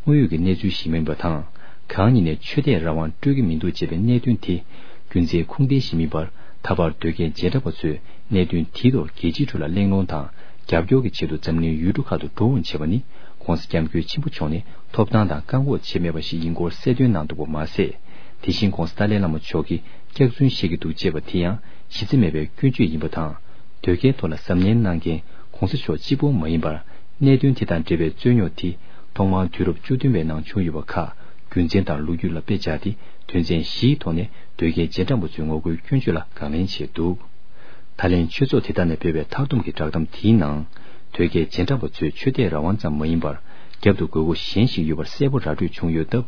དངོས་ཡོད་ཀྱི་གནས་ཚུལ་ཞིག་མིན་པ་དང་། གང་ཉིད་ནས་ཆོས་དད་རང་དབང་སྤྲོད་ཀྱི་མི་འདུག་ཅེས་པའི་གནད་དོན་དེ་རྒྱུ་མཚན་ཁུངས་ལྡན་ཞིག་མིན་པར། ད་བར་དོལ་རྒྱལ་རྗེས་འབྲང་པ་ཚོས་གནད་དོན་དེའི་ཐོག་རྒྱལ་སྤྱིའི་ཁྲོད་ལ་གླེང་སློང་དང་རྒྱབ་སྐྱོར་གྱི་ཆེད་དུ་འཛམ་གླིང་ཡུལ་གྲུ་ཁག་ཏུ་འགྲོ་འོང་བྱས་པ་ནི། ༸གོང་ས་༸སྐྱབས་མགོན་ཆེན་པོ་མཆོག་ནས་ཐོབ་ཐང་དང་བཀག་འགོག་བྱས་མེད་པ་ཞིག་ཡིན་སྐོར་གསལ་སྟོན་གནང་འདུག་པ་མ་ཟད། དེ་བཞིན་༸གོང་ས་ཏཱ་ལའི་བླ་མ་མཆོག་གིས་སྐྱག་རྫུན་བཤད་ཀྱི་འདུག་ཅེས་པ་དེ་ཡང་གཞི་རྩ་མེད་པའི་སྐྱོན་བརྗོད་ཡིན་པ་དང་། དོལ་རྒྱལ་ཐོག་ལ་གཟབ་ནན་གནང་མཁན་༸གོང་ས་མཆོག་གཅིག་པོ་མ་ཡིན་པར། གནད་དོན་དེ་དང་འབྲེལ་བའི་རྩོད་རྙོག་དེ་ཐོག་མར་དུས་རབས་བཅུ་བདུན་པའི་ནང་བྱུང་ཡོད་པ་ཁག་རྒྱུ་མཚན་དང་ལོ་རྒྱུས་ལ་དཔེ་སྦྱར་ཏེ་དོན་ཚན་བཞིའི་ཐོག་ནས་དོལ་རྒྱལ་རྗེས་འབྲང་པ་ཚོའི་ངོ་རྒོལ་སྐྱོན་བརྗོད་ལ་དགག་ལན་བྱས་འདུག་ད་ལན་ཆོས་ཚོགས་དེ་དག་ནས་སྤེལ་བའི་མཐར་སྡོམ་གྱི་བསྒྲགས་གཏམ་དེའི་ནང་། དོལ་རྒྱལ་རྗེས་འབྲང་པ་ཚོས་ཆོས་དད་རང་དབང་ཙམ་མ་ཡིན་པར། རྒྱབ་ཏུ་དགོས་མཁོ་གཞན་ཞིག་ཡོད་པར་གསལ་པོ་ར་སྤྲོད་བྱུང་ཡོད་སྟབས།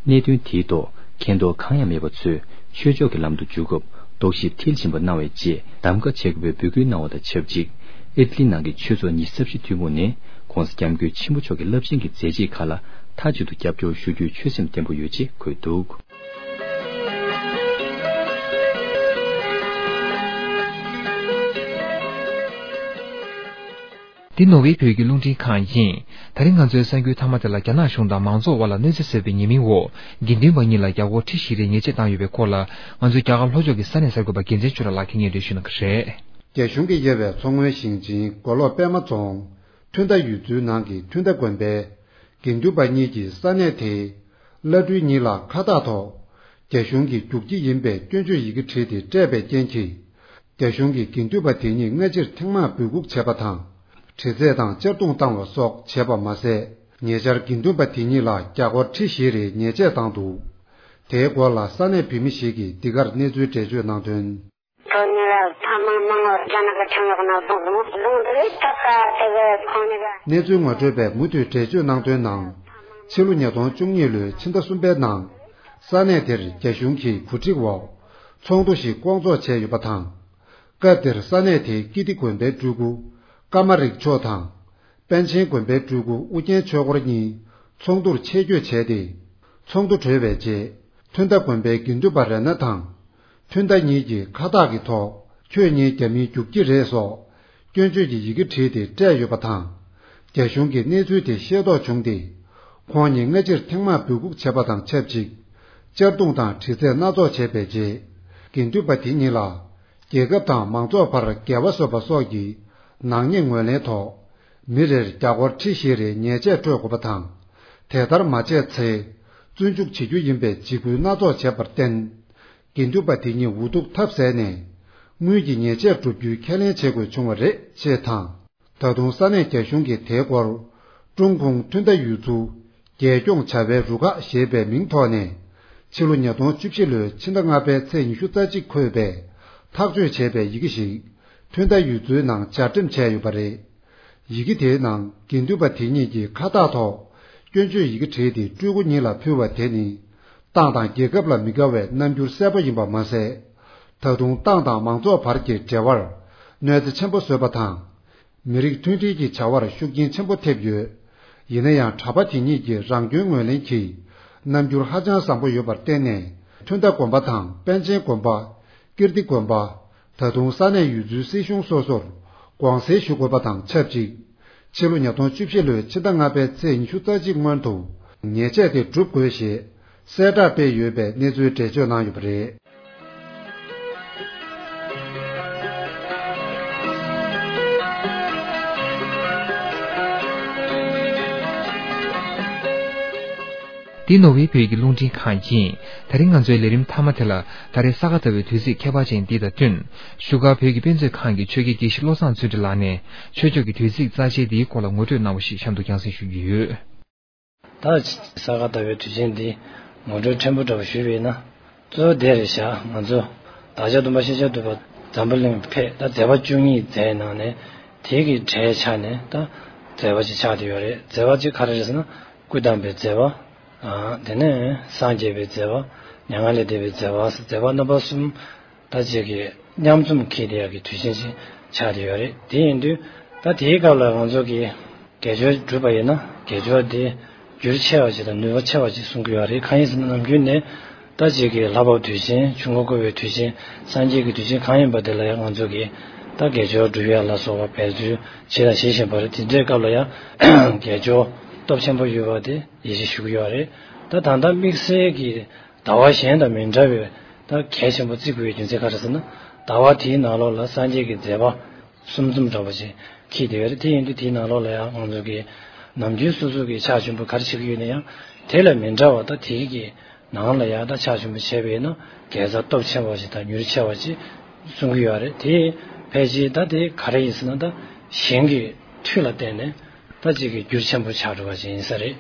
གནད་དོན་དེའི་ཐོག་མཁྱེན་རྟོགས་གང་ཡང་མེད་པ་ཚོས་ཆོས་ཕྱོགས་ཀྱི་ལམ་དུ་འཇུག་སྐབས་རྟོག་ཞིབ་མཐིལ་ཕྱིན་པ་གནང་བའི་རྗེས་གདམ་ག་བྱེད་དགོས་པའི་འབོད་སྐུལ་གནང་བ་དང་ཆབས་ཅིག་ཨི་ཊ་ལི་ནང་གི་ཆོས་ཚོགས་ཉི་ཤུ་རྩ་བཞི་ཐུན་མོང་ནས་༸གོང་ས་༸སྐྱབས་མགོན་ཆེན་པོ་མཆོག་གི་རླབས་ཆེན་གྱི་མཛད་རྗེས་ཁག་ལ་མཐའ་གཅིག་ཏུ་རྒྱབ་སྐྱོར་ཞུ་རྒྱུའི་ཆོད་སེམས་བརྟན་པོ་ཡོད་ཅེས་འཁོད་འདུག་འདི་ནོར་ཝེ་བོད་ཀྱི་རླུང་འཕྲིན་ཁང་ཡིན། ད་རིང་ང་ཚོའི་གསར་འགྱུར་མཐའ་མ་དེ་ལ་རྒྱ་ནག་གཞུང་དང་མང་ཚོགས་དབར་ལ་གནོད་འཚེ་བཟོས་པའི་ཉེས་མིང་འོག་དགེ་འདུན་པ་གཉིས་ལ་རྒྱ་སྒོར་ཁྲི་བཞི་རེ་ཉེས་ཆད་བཏང་ཡོད་པའི་སྐོར་ལ་ང་ཚོའི་རྒྱ་གར་ལྷོ་ཕྱོགས་ཀྱི་ས་གནས་གསར་འགོད་པ་རྒྱལ་མཚན་ཆོས་གྲགས་ལགས་ཀྱིས་སྙན་སྒྲོན་ཞུ་གནང་གི་རེད། རྒྱ་གཞུང་གིས་དབྱེ་བའི་མཚོ་སྔོན་ཞིང་ཆེན་མགོ་ལོག་པད་མ་རྫོང་ཐུན་ཏ་ཡུལ་ཚོའི་ནང་གི་ཐུན་ཏ་དགོན་པའི་དགེ་འདུན་པ་གཉིས་ཀྱིས་ས་གནས་དེའི་བླ་སྤྲུལ་གཉིས་ལ་ཁ་བཏགས་ཐོག་རྒྱ་གཞུང་གི་རྒྱུག་ཁྱི་ཡིན་པའི་སྐྱོན་བརྗོད་ཡི་གེ་བྲིས་ཏེ་སྤྲད་པའི་རྐྱེན་གྱིས། རྒྱ་གཞུང་གིས་དགེ་འདུན་པ་དེ་གཉིས་སྔ་ཕྱིར་ཐེངས་མང་འབོད་འགུག་བྱས་པ་དང་། དྲི་རྩད་དང་གཅར་རྡུང་བཏང་བ་སོགས་བྱས་པ་མ་ཟད། ཉེ་ཆར་དགེ་འདུན་པ་དེ་གཉིས་ལ་རྒྱ་སྒོར་ཁྲི་བཞི་རེའི་ཉེས་ཆད་བཏང་འདུག་དེའི་སྐོར་ལ་ས་གནས་བོད་མི་ཞིག་གིས་འདི་གར་གནས་ཚུལ་འགྲེལ་བརྗོད་གནང་དོན། ཁོ་གཉིས་ལ་ཐེངས་མང་མང་བོ་རྒྱ་ནག་གི་ཁྲིམས་ལུགས་ནང་བཟུང་སོང་། བཟུང་དུས་ད་ལྟ་དེ་གི་ཁོང་གཉིས་ཀ། གནས་ཚུལ་ངོ་སྤྲོད་པས་མུ་མཐུད་འགྲེལ་བརྗོད་གནང་དོན་ནང་། ཕྱི་ལོ་ཉིས་སྟོང་བཅུ་གཉིས་ལོའི་ཕྱི་ཟླ་གསུམ་པའི་ནང་། ས་གནས་དེར་རྒྱ་གཞུང་གི་གོ་སྒྲིག་འོག་ཚོགས་འདུ་ཞིག་བསྐོང་ཚོགས་བྱས་ཡོད་པ་དང་། སྐབས་དེར་ས་གནས་དེའི་ཀིརྟི་དགོན་པའི་སྤྲུལ་སྐུ་ཀ་མ་རིག་མཆོག་དང་། པཎ་ཆེན་དགོན་པའི་སྤྲུལ་སྐུ་ཨུ་རྒྱན་ཆོས་འཁོར་གཉིས་ཚོགས་འདུར་ཆེད་བསྐྱོད་བྱས་ཏེ། ཚོགས་འདུ་གྲོལ་བའི་རྗེས། ཐུན་ཏ་དགོན་པའི་དགེ་འདུན་པ་རེ་ན་དང་། ཐུན་ཏ་གཉིས་ཀྱིས་ཁ་བཏགས་ཀྱི་ཐོག་ཁྱོད་གཉིས་རྒྱ་མིའི་རྒྱུག་ཁྱི་རེད་སོགས། སྐྱོན་བརྗོད་ཀྱི་ཡི་གེ་བྲིས་ཏེ་སྤྲད་ཡོད་པ་དང་། རྒྱ་གཞུང་གིས་གནས་ཚུལ་དེ་ཤེས་རྟོགས་བྱུང་སྟེ། ཁོང་གཉིས་སྔ་ཕྱིར་ཐེངས་མང་འབོད་འགུག་བྱས་པ་དང་ཆབས་ཅིག་གཅར་རྡུང་དང་དྲི་རྩད་སྣ་ཚོགས་བྱས་པའི་རྗེས། དགེ་འདུན་པ་དེ་གཉིས་ལ། རྒྱལ་ཁབ་དང་མང་ཚོགས་བར་འགལ་བ་བཟོས་པ་སོགས་ཀྱི་ནག་ཉེས་ངོས་ལེན་ཐོག་མི་རེར་རྒྱ་སྒོར་ཁྲི་བཞི་རེའི་ཉེས་ཆད་སྤྲོད་དགོས་པ་དང་། དེ་ལྟར་མ་བྱས་ཚེ། བཙོན་འཇུག་བྱེད་རྒྱུ་ཡིན་པའི་འཇིགས་སྐུལ་སྣ་ཚོགས་བྱས་པར་བརྟེན། དགེ་འདུན་པ་དེ་གཉིས་འུ་ཐུག་ཐབས་ཟད་ནས། དངུལ་གྱི་ཉེས་ཆད་སྒྲུབ་རྒྱུའི་ཁས་ལེན་བྱེད་དགོས་བྱུང་བ་རེད་ཅེས་དང་། ད་དུང་ས་གནས་རྒྱ་གཞུང་གིས་དེའི་སྐོར། ཀྲུང་གུང་ཐུན་ཏ་ཡུལ་ཚོ། རྒྱལ་སྐྱོང་བྱ་བའི་རུ་ཁག་ཞེས་པའི་མིང་ཐོག་ནས། ཕྱི་ལོ་ཉིས་སྟོང་བཅུ་བཞི་ལོའི་ཕྱི་ཟླ་ལྔ་པའི་ཚེས་ཉི་ཤུ་རྩ་གཅིག་འཁོད་པའི་ཐག་གཅོད་བྱས་པའི་ཡི་གེ་ཞིག་ཐུན་ཏ་ཡུལ་ཚོའི་ནང་སྦྱར་འགྲེམས་བྱས་ཡོད་པ་རེད། ཡི་གེ་དེའི་ནང་དགེ་འདུན་པ་དེ་གཉིས་ཀྱིས་ཁ་བཏགས་ཐོག་སྐྱོན་བརྗོད་ཡི་གེ་བྲིས་ཏེ་སྤྲུལ་སྐུ་གཉིས་ལ་ཕུལ་བ་དེ་ནི། ཏང་དང་རྒྱལ་ཁབ་ལ་མི་དགའ་བའི་རྣམ་འགྱུར་གསལ་པོ་ཡིན་པ་མ་ཟད། ད་དུང་ཏང་དང་མང་ཚོགས་བར་གྱི་འབྲེལ་བར། གནོད་འཚེ་ཆེན་པོ་བཟོས་པ་དང་། མི་རིགས་མཐུན་སྒྲིལ་གྱི་བྱ་བར་ཤུགས་རྐྱེན་ཆེན་པོ་ཐེབས་ཡོད། ཡིན་ན་ཡང་གྲྭ་པ་དེ་གཉིས་ཀྱི་རང་སྐྱོན་ངོས་ལེན་གྱིས། རྣམ་འགྱུར་ཧ་ཅང་བཟང་པོ་ཡོད་པར་བརྟེན་ནས། ཐུན་ཏ་དགོན་པ་དང་པཎ་ཆེན་དགོན་པ། ཀིརྟི་དགོན་པ། ད་དུང་ས་གནས་ཡུལ་ཚོའི་སྲིད་གཞུང་སོ་སོར་དགོངས་སེལ་ཞུ་དགོས་པ་དང་ཆབས་ཅིག་ཕྱི་ལོ་ཉིས་སྟོང་བཅུ་བཞི་ལོའི་ཕྱི་ཟླ་ལྔ་པའི་ཚེས་ཉི་ཤུ་རྩ་གཅིག་སྔོན་དུ་ཉེས་ཆད་དེ་སྒྲུབ་དགོས་ཞེས་གསལ་བསྒྲགས་སྤེལ་ཡོད་པའི་གནས་ཚུལ་འགྲེལ་བརྗོད་གནང་ཡོད་པ་རེད། འདི་ནོར་ཝེ་བོད་ཀྱི་རླུང་འཕྲིན་ཁང་ཡིན། ད་རིང་ང་ཚོའི་ལས་རིམ་མཐའ་མ་དེ་ལ་ད་རེས་ས་ག་ཟླ་བའི་དུས་ཚིགས་ཁྱད་པར་ཅན་འདི་དང་བསྟུན། བཞུགས་སྒར་བོད་ཀྱི་དཔེ་མཛོད་ཁང་གི་ཆོས་དགེ་དགེ་བཤེས་བློ་བཟང་བརྩོན་འགྲུས་ལགས་ནས་ཆོས་ཕྱོགས་ཀྱི་དུས་ཚིགས་རྩ་ཆེའི་འདིའི་སྐོར་ལ་ངོ་སྤྲོད་གནང་བ་ཞིག་གཤམ་དུ་རྒྱང་སྲིང་ཞུ་རྒྱུ་ཡོད། ད་ས་ག་ཟླ་བའི་དུས་ཆེན་འདི་ངོ་སྤྲོད་ཕྲན་བུ་འདྲ་བོ་ཞུས་པ་ཡིན་ན། གཙོ་བོ་དེ་རེད་བཞག་ང་ཚོ་བདག་ཅག་སྟོན་པ་ཤཱཀྱ་ཐུབ་པ་འཛམ་བུ་གླིང་ཕེབས་ད་མཛད་པ་བཅུ་གཉིས་མཛད་ནང་ནས་དེ་གི་གྲས་ཆ་ནས་ད་མཛད་པ་ཅིག་ཆགས་བསྡད་ཡོད་རེད། མཛད་པ་ཅིག་ག་རེ་རེད་ཟེར་ན། སྐུ་བལྟམས་པའི་མཛད་པ། དེ་ནས་སངས་རྒྱས་པའི་མཛད་པ། མྱ་ངན་ལས་འདས་པའི་མཛད་པ། མཛད་པ་རྣམ་པ་གསུམ་ད་ཅིག་གི་མཉམ་འཛོམས་འཁེལ་བསྡད་ཡག་གི་དུས་ཆེན་ཞིག་ཆགས་བསྡད་ཡོད་རེད། དེ་ཡིན་དུས་ད་དེའི་སྐབས་ལ་ང་ཚོ་གི་དགེ་སྦྱོར་བསྒྲུབས་པ་ཡིན་ན་དགེ་སྦྱོར་དེ་རྒྱུར་ཆེ་བ་ཞིག་དང་ནུས་པ་ཆེ་བ་ཞིག་གསུང་གི་ཡོད་རེད། གང་ཡིན་ཟེར་ན་ནམ་རྒྱུན་ནས་ད་ཅིག་གི་ལྷ་བབས་དུས་ཆེན། ཆོས་འཁོར་བསྐོར་བའི་དུས་ཆེན། སངས་རྒྱས་ཀྱི་དུས་ཆེན་གང་ཡིན་པ་དེ་ལ་ཡང་ང་ཚོ་གི་ད་དགེ་སྦྱོར་སྒྲུབ་ཡ་ལ་སོགས་པ་འབད་རྩོལ་བྱེད་དང་བྱེད་བཞིན་པ་རེད། དེ་འདྲའི་སྐབས་ལ་ཡང་དགེ་སྦྱོར་སྟོབས་ཆེན་པོ་ཡོད་པ་དེ་ཡིད་ཆེས་ཞུ་གི་ཡོད་རེད། ད་ད་ལྟ་དམིགས་བསལ་གྱི་ཟླ་བ་གཞན་དང་མི་འདྲ་བའི་ད་གལ་ཆེན་པོ་བརྩི་དགོས་པའི་རྒྱུ་མཚན་ག་རེ་ཟེར་ན། ཟླ་བ་དེའི་ནང་ལོགས་ལ་སངས་རྒྱས་ཀྱི་མཛད་པ་གསུམ་འཛོམས་འདྲ་བོ་ཅིག་འཁེལ་བསྡད་ཡོད་རེད། དེ་ཡིན་དུས་དེའི་ནང་ལོགས་ལ་ཡང་ང་ཚོ་གི་ ནམ་རྒྱུན་སོ་སོ་གི་ཕྱག་མཆོད་འབུལ་ག་རེ་བྱེད་ཀྱི་ཡོད་ན་ཡང་། དེ་ལ་མི་འདྲ་བ་དང་དེའི་གི་ནང་ལ་ཡང་ད་ཕྱག་མཆོད་འབུལ་བྱས་པས་ན་དགེ་རྩ་སྟོབས་ཆེ་བ་ཞིག་དང་མྱུར་ཆེ་བ་ཞིག་གསུང་གི་ཡོད་རེད། དེ་ཕལ་ཆེར་ད་དེ་ག་རེ་ཡིན་ཟེར་ན། ད་ཞིང་གི་མཐུ་ལ་བརྟེན་ནས་ད་ཅིག་གི་རྒྱུ་ཆེན་པོ་ཆགས་འགྲོ་བ་ཞིག་ཡིན་ས་རེད།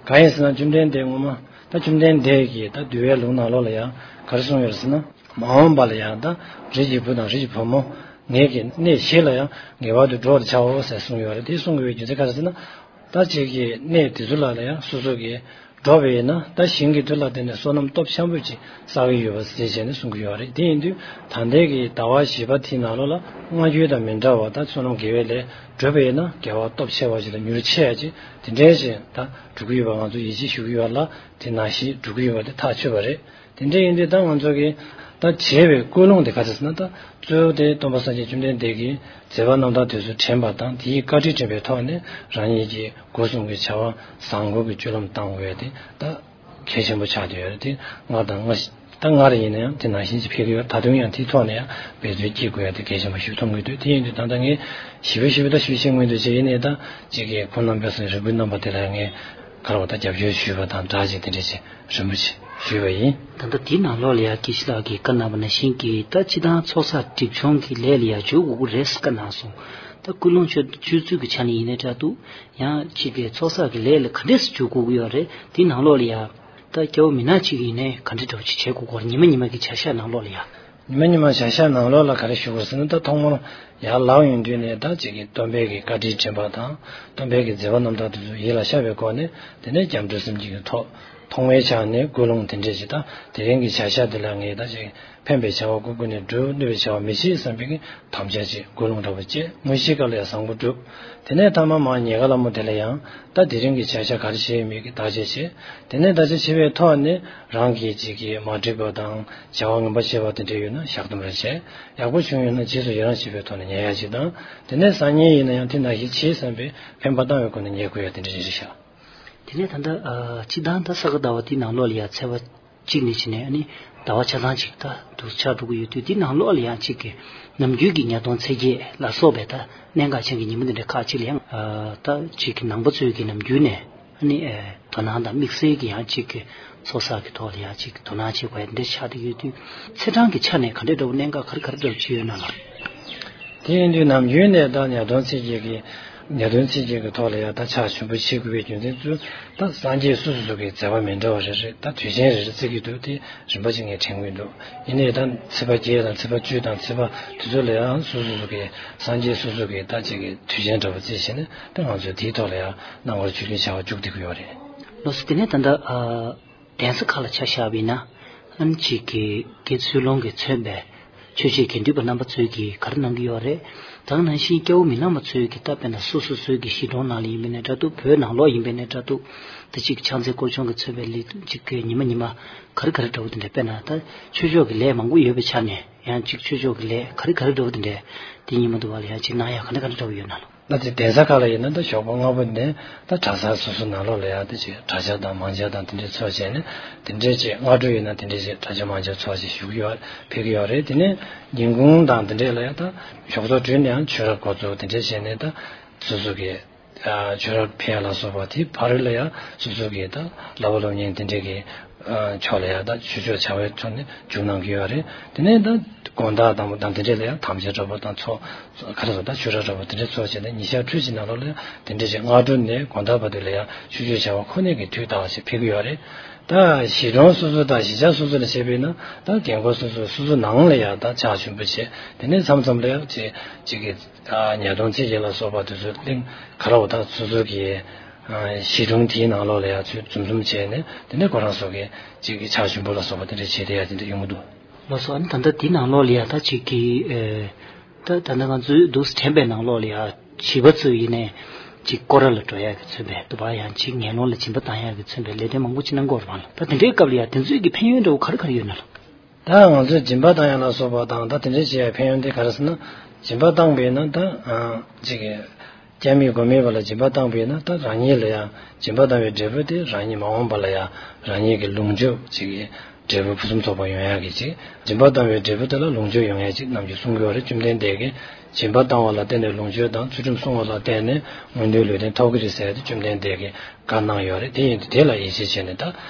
གང་ཡིན་ཟེར་ན་བཅོམ་ལྡན་འདས་ངོ་མ་ད་བཅོམ་ལྡན་འདས་ཀྱིས་ད་འདུལ་བའི་ལུང་ནང་ལོགས་ལ་ཡང་ག་རེ་གསུངས་ཡོད་རེད་ཟེར་ན། མ་འོངས་པ་ལ་ཡང་ད་རིགས་ཀྱི་བུ་དང་རིགས་ཀྱི་བུ་མོ་ངེད་ཀྱི་གནས་བཞི་ལ་ཡང་ངེས་པར་དུ་འགྲོ་བར་བྱའོ་ཟེར་གསུངས་ཡོད་རེད། དེ་གསུང་དགོས་པའི་རྒྱུ་མཚན་ག་རེ་ཟེར་ན། ད་ཅིག་གི་གནས་དེ་ཚོ་ལ་ལ་ཡང་སོ་སོ་གིས་འགྲོ་བས་ན་ད་ཞིང་གི་མཐུ་ལ་བརྟེན་ནས་བསོད་ནམས་སྟོབས་ཆེན་པོ་ཅིག་བསགས་ཀྱི་ཡོད་པ་ཟེར་བྱས་ནས་གསུང་གི་ཡོད་རེད། དེ་ཡིན་དུས་ད་ལྟའི་གི་ཟླ་བ་བཞི་པ་དེའི་ནང་ལོགས་ལ་སྔ་འགྱུར་དང་མི་འདྲ་བ་ད་བསོད་ནམས་དགེ་བའི་ལས་བསྒྲུབས་པས་ན་དགེ་བ་སྟོབས་ཆེ་བ་ཞིག་དང་མྱུར་ཆེ་ཡ་ཅིག་དེ་འདྲའི་ཞིག་ད་འགྲུབ་ཀྱི་ཡོད་པ་ང་ཚོ་ཡིད་ཆེས་ཞུ་གི་ཡོད་ལ། དེ་ནང་བཞིན་འགྲུབ་ཀྱི་ཡོད་པ་དེ་ཐག་ཆོད་པ་རེད། དེ་འདྲ་ཡིན་དུས་ད་ང་ཚོ་གིས་ད་བྱས་པའི་ཀུན་སློང་དེ་ག་རེ་ཟེར་ན། ད་གཙོ་བོ་དེ་སྟོན་པ་སངས་རྒྱས་བཅོམ་ལྡན་འདས་ཀྱིས་མཛད་པ་རྣམ་ཐར་དེ་ཚོ་དྲན་པ་དང་དེའི་བཀའ་དྲིན་དྲན་པའི་ཐོག་ནས་རང་ཉིད་ཀྱི་སྒོ་གསུམ་གྱི་བྱ་བ་བཟང་པོ་གི་སྤྱོད་ལམ་བཏང་དགོས་ཡ་དེ་ད་གལ་ཆེན་པོ་ཆགས་བསྡད་ཡོད་རེད། དེ་སྔར་དང་སྔ་ད་སྔར་ཡིན་ན་ཡང་དེ་ནང་བཞིན་གྱི་ཕེབས་ཀྱི་ཡོད། ད་དུང་ཡང་དེའི་ཐོག་ནས་ཡང་འབད་བརྩོན་བགྱིད་དགོས་ཡ་དེ་གལ་ཆེན་པོ་ཞིག་མཐོང་གི་འདུག་དེ་ཡིན་དུས་ད་ལྟ་ངས་ཞིབ་པ་ཞིབ་པ་ད་ཞུ་ཤེས་མི་འདུག་ཅེས་ཡིན་ནའི་ད་ཅིག་གི་ཁོང་རྣམ་པས་སོང་རེ་སྐུལ་གནང་པ་དེ་ལ་ངས་ག་རེ་བ་ད་རྒྱབ་སྐྱོར་ཞུས་པ་དང་སྦྲགས་ཅིག་དེ་འདྲ་ཅིག་རིན་པོ་ཆེ་ཞུས་པ་ཡིན། ད་ལྟ་དེའི་ནང་ལོགས་ལ་ཡང་དགེ་བཤེས་ལགས་ཀྱིས་བཀའ་གནང་བ་ནང་བཞིན་གྱི་ད་སྤྱི་བཏང་ཚོགས་བསགས་སྒྲིབ་སྦྱོང་གི་ལས་ལ་ཡང་འཇུག་དགོས་ཀྱི་རེད་བཀའ་གནང་སོང་། ད་ཀུན་སློང་སྤྱོད་སྤྱོད་ཚུལ་གྱི་ཆ་ནས་ཡིན་ནའི་འདྲ་འདུག་ཡང་གཅིག་གི་ཚོགས་བསགས་ཀྱི་ལས་ལ་ག་འདྲས་སེ་འཇུག་དགོས་ཀྱི་ཡོད་རེད། དེའི་ནང་ལོགས་ལ་ཡང་ད་སྐྱ་བོ་མི་ནག་གཅིག་ཡིན་ནའི་ག་འདྲས་འདྲ་བོ་ཅིག་བྱེད་དགོས་ཀྱི་ཡོད་རེད། ཉི་མ་ཉི་མ་གི་བྱ་གཞག་ནང་ལོགས་ལ་ཡང་། ཉི་མ་ཉི་མ་བྱ་གཞག་ནང་ལོགས་ལ་ག་རེ་ཞུ་དགོས་ཟེར་ན། ད་ཐོག་མར་ཡར་ལངས་ཡོང་དུས་ནས་ད་ཅིག་གི་སྟོན་པའི་གི་བཀའ་དྲིན་དྲན་པ་དང་སྟོན་པའི་གི་མཛད་པ་རྣམ་ཐར་དེ་ཚོ་ཡིད་ལ་ཤར་བའི་སྒོ་ནས། དེ་ནས་སྐྱབས་འགྲོ་སེམས་བསྐྱེད་ཀྱི་ཐོག་ཐོག་མའི་ཆ་ནས་ཀུན་སློང་དེ་འདྲས་ཅིག་ད་དེ་རིང་གི་བྱ་གཞག་འདི་ལ་ངས་ད་ཅིག་ཕན་པའི་བྱ་བ་ཀུན་ཀུན་ནས་བསྒྲུབ། གནོད་པའི་བྱ་བ་མི་བྱེད་བསམ་པའི་གི་དམ་བཅའ་ཅིག་ཀུན་སློང་འདྲ་བོ་བཅས། དངོས་གཞིའི་སྐབས་ལ་ཡང་བཟང་པོ་བསྒྲུབ། དེ་ནས་ཐ་མ་མར་ཉལ་ཁ་ལ་མོ་དེ་ལ་ཡང་ད་དེ་རིང་གི་བྱ་གཞག་ག་རེ་བྱས་ཡོད་མེད་ཀྱི་བརྟག་དཔྱད་བྱེད། དེ་ནས་བརྟག་དཔྱད་བྱས་པའི་ཐོག་ནས་རང་གིས་ཅིག་གི་མ་འགྲིག་པ་དང་བྱ་བ་ངན་པ་བྱས་པ་དེ་འདྲ་ཡོད་ན་བཤགས་སྡོམ་རེ་བྱས། ཡག་པོ་བྱུང་ཡོད་ན་རྗེས་སུ་ཡི་རང་བྱེད་པའི་ཐོག་ནས་ཉལ་ཡ་ཅིག་དང་། དེ་ནས་སང་ཉིན་ཡིན་ན་ཡང་དེ་ནང་བཞིན་བྱེད་བསམ་པའི་འཕེན་པ་བཏང་བའི་སྒོ་ནས་ཉལ་དགོས་ཡ་དེ་འདྲ་ཅིག་རེད་ཤག་དེ་ནས་ད་ལྟ་ཨ་སྤྱི་བཏང་ད་ས་ག་ཟླ་བ་དེའི་ནང་ལོགས་ལ་ཡ་ཚེས་པ་གཅིག་ནས་བྱས་ནས་ཨ་ནི་ཟླ་བ་ཆ་ཚང་ཅིག་ད་དུ་ཆགས་འགྲོ་གི་ཡོད་དུས། དེའི་ནང་ལོགས་ལ་ཡང་གཅིག་གི་ནམ་རྒྱུན་གྱི་ཉ་སྟོན་ཚེས་བརྒྱད་ལ་སོགས་པའི་ད་གནད་འགག་ཅན་གྱི་ཉིན་མོ་འདི་འདྲ་ཁག་ཅིག་ལ་ཡང་ཨ་ད་གཅིག་གི་ནང་པ་ཚོས་ཀྱི་ནམ་རྒྱུན་ནས་ཨ་ནི་ཨ་དོ་སྣང་དང་དམིགས་བསལ་གྱི་ཡང་གཅིག་གི་ཚོགས་བསགས་ཀྱི་ཐོག་ལ་ཡང་གཅིག་དོ་སྣང་བྱེད་དགོས་ཡ་འདི་འདྲ་ཆགས་བསྡད་ཡོད་དུས། ཚེས་གྲངས་ཀྱི་ཆ་ནས་ག་འདྲ་འདྲ་བོ་གནད་འགག་ག་རེ་ག་རེ་འདྲ་བོ་ཅིག་ཡོད་ན་ལགས། དེ་ཡིན་དུས་ནམ་རྒྱུན་ནས་ད་ཉ་སྟོན་ཚེས་བརྒྱད་ཀྱི་ཉ་སྟོན་ཚེས་བརྒྱད་ཀྱི་ཐོག་ལ་ཡང་ད་ཕྱག་མཆོད་འབུལ་བྱེད་དགོས་པའི་རྒྱུ་མཚན་ཚུལ་ད་སངས་རྒྱས་སོ་སོ་སོ་གི་མཛད་པ་མི་འདྲ་བ་རེ་རེ་ད་དུས་ཆེན་རེ་རེ་བརྩི་གི་འདུག་དེ་རིམ་པ་ཅིག་ངས་དྲན་གྱི་འདུག་ཡིན་ནའི་ད་ཚེས་པ་བརྒྱད་དང་ཚེས་པ་བཅུ་དང་ཚེས་པ་དེ་ཚོ་ལ་ཡང་སོ་སོ་སོ་གི་སངས་རྒྱས་སོ་སོ་གི་ད་ཅིག་གི་དུས་ཆེན་འདྲ་བོ་བརྩིས་བྱས་ནས་ད་ང་ཚོས་དེའི་ཐོག་ལ་ཡང་རྣམ་དཀར་ཆོས་འབུལ་བྱ་བ་མཇུག་བསྡུ་གི་ཡོད་རེད། ལགས་སོ། དེ་ནས་ད་ལྟ་ཨ། གདན་ས་ཁག་ལ་ཆ་བཞག་པ་ཡིན་ན། ཨ་ནི་གཅིག་གི་དགེ་ཚུལ་སློང་གིས་མཚོན་པའི་ཆོས་བྱེད་དགེ་འདུན་པ་རྣམ་པ་ཚོས་ཀྱིས་ག་རེ་གནང་གི་ཡོད་རེད། ད་ག་ནང་བཞིན་སྐྱ་བོ་མི་ནག་མ་ཚོས་ཀྱིས་ད་དཔེར་ན་སོ་སོ་སོའི་གི་གཞིས་གྲོང་ནང་ལ་ཡིན་པ་ཡིན་ནའི་འདྲ་འདུག་བོད་ནང་ལོགས་ཡིན་པ་ཡིན་ནའི་འདྲ་འདུག་ད་གཅིག་ཕྱག་འཚལ་སྐོར་སྦྱོང་གིས་མཚོན་པའི་ལས་དོན་གཅིག་གི་ཉི་མ་ཉི་མ་ག་རེ་ག་རེ་འདྲ་བོ་དེ་འདྲ། དཔེར་ན་ད་ཆོས་ཕྱོགས་ཀྱི་ལས་མང་པོ་ཡོད་པའི་ཆ་ནས་ཡང་གཅིག་ཆོས་ཕྱོགས་ཀྱི་ལས་ག་རེ་ག་རེ་འདྲ་བོ་དེ་འདྲ་དེ་ཉི་མ་དུ་བ་ལ་ཡང་གཅིག་གནང་ཡ་ག་འདྲ་ག་འདྲ་འདྲ་བོ་ཡོད་ན་ལགས། ད་དེ་གདན་ས་ཁག་ལ་ཡིན་ན་ད་ཞོགས་པ་སྔ་པོ་ནས་ད་གྲྭ་ཚང་སོ་སོ་ནང་ལོགས་ལ་ཡང་དེ་ཅིག་གྲྭ་ཆ་དང་མང་ཇ་དང་དེ་འདྲའི་ཚོགས་བྱས་ནས་དེ་འདྲའི་ཅིག་སྔ་དྲོ་ཡིན་ན་དེ་འདྲའི་ཅིག་གྲྭ་ཆ་མང་ཇ་ཚོགས་ཅིག་ཞུ་གི་ཡོད་ཕེབས་ཀྱི་ཡོད་རེད། དེ་ནས་ཉིན་གུང་དང་དེ་འདྲས་ལ་ཡང་ད་ཞོགས་ཚོགས་གྲོལ་ནས་ཡང་ཆོས་ར་འགོ་ཚུགས་དེ་འདྲས་བྱས་ནས་ད་སོ་སོ་གི་ཆོས་ར་ཕེབས་ཡ་ལ་སོགས་པ་དེ་བར་ལ་ཡང་སོ་སོ་གི་ད་བསླབ་པ་སློབ་གཉེར་དེ་འདྲས་ཀྱི་ཕྱོགས་ལ་ཡང་ད་ཆོས་ཕྱོགས་བྱ་བའི་ཐོག་ནས་འཇུག་གནང་གི་ཡོད་རེད། དེ་ནས་ད་དགོང་དག་དང་པོ་དང་དེ་འདྲས་ལ་ཡང་དམ་བཅའ་འདྲ་པོ་དང་ཚོགས་ག་རེ་ཟེར་ད་ཆོས་ར་འདྲ་པོ་དེ་འདྲས་ཚོགས་བྱས་ནས་ཉིན་ཞག་འཕྲོས་ཀྱི་ནང་ལོགས་ལ་ཡང་དེ་འདྲས་ཀྱི་སྔ་དྲོ་ནས་དགོང་དག་བར་དུ་ལ་ཡང་ཆོས་ཕྱོགས་བྱ་བ་ཁོ་ནའི་གི་དུས་དང་ཞིག་ཕེབས་ཀྱི་ཡོད་རེད། ད་གཞིས་གྲོང་སོ་སོ་དང་གཞིས་ཆགས་སོ་སོ་ལ་བྱས་པས་ན་ད་རྒན་རྒོན་སོ་སོ་སོ་སོ་ནང་ལ་ཡང་ད་ཕྱག་མཆོད་འབུལ་བྱས། དེ་ནས་མཚམས་མཚམས་ལ་ཡང་ཅིག་ཅིག་གི་ཉ་སྟོན་ཚེས་བརྒྱད་ལ་སོགས་པ་དེ་ཚོ་གླིང་ག་ར་བ་ད་སོ་སོ་གི་གཞིས་གྲོང་དེའི་ནང་ལོགས་ལ་ཡང་ཚུར་འཛོམས་འཛོམས་བྱས་ནས་དེ་ནས་ཁོ་རང་ཚོ་གི་ཅིག་གི་ཕྱག་མཆོད་འབུལ་ལ་སོགས་པ་དེ་འདྲ་བྱས་བསྡད་ཡ་དེ་འདྲ་ཡོང་གི་འདུག་ལགས་སོ། ཨ་ནི་ད་ལྟ་དེའི་ནང་ལོགས་ལ་ཡང་ད་ཅིག་གི་ཨེ། ད་ད་ལྟ་ང་ཚོའི་འདུག་སེ་དྲན་པའི་ནང་ལོགས་ལ་ཡང་བྱིས་པ་ཚོ་ཡིན་ནའི་ཅིག་སྐོར་ར་ལ་འགྲོ་ཡ་གི་མཚོན་པའི་དུ་བ་ཡང་ཅིག་ངན་སློང་ལ་སྦྱིན་པ་བཏང་ཡ་གི་མཚོན་པའི་ལས་དོན་མང་པོ་ཅིག་གནང་གི་ཡོད་རེད་པ། ད་དེ་འདྲའི་སྐབས་ལ་ཡང་དེ་ཚོའི་གི་ཕན་ཡོན་འདྲ་བོ་ག་རེ་ག་རེ་ཡོད་ན་ལགས། ད་ང་ཚོས་སྦྱིན་པ་བཏང་ཡ་ལ་སོགས་པ་དང་ད་དེ་འདྲའི་བྱེད་ཡ་ཕན་ཡོན་དེ་ག་རེ་ཟེར་ན། སྦྱིན་པ་བཏང་བས་ན་ད་ཅིག་གི་སྐྱབས་མེད་མགོན་མེད་པ་ལ་སྦྱིན་པ་བཏང་བས་ན་ད་རང་ཉིད་ལ་ཡང་སྦྱིན་པ་བཏང་བའི་འབྲས་བུ་དེ་རང་ཉིད་མ་འོངས་པ་ལ་ཡང་རང་ཉིད་ཀྱི་ལོངས་སྤྱོད་ཅིག་གི་འབྲས་བུ་ཕུན་སུམ་ཚོགས་པ་ཡོང་ཡག་གི་ཅིག་སྦྱིན་པ་བཏང་བའི་འབྲས་བུ་དེ་ལ་ལོངས་སྤྱོད་ཡོང་ཡག་ཅིག་ནམ་རྒྱུན་གསུང་གི་ཡོད་རེད། བཅོམ་ལྡན་འདས་ཀྱིས། སྦྱིན་པ་བཏང་བ་ལ་བརྟེན་ནས་ལོངས་སྤྱོད་དང་ཚུལ་ཁྲིམས་སྲུང་བ་ལ་བརྟེན་ནས་མངོན་མཐོའི་ལུས་རྟེན་ཐོབ་ཀྱི་རེད་ཟེར་ཏེ་བཅོམ་ལྡན་འདས་ཀྱིས་བཀའ་གནང་ཡོད་རེད། དེ་ཡིན་དུས་དེ་ལ་ཡིད་ཆེས་བྱས་ནས་ད་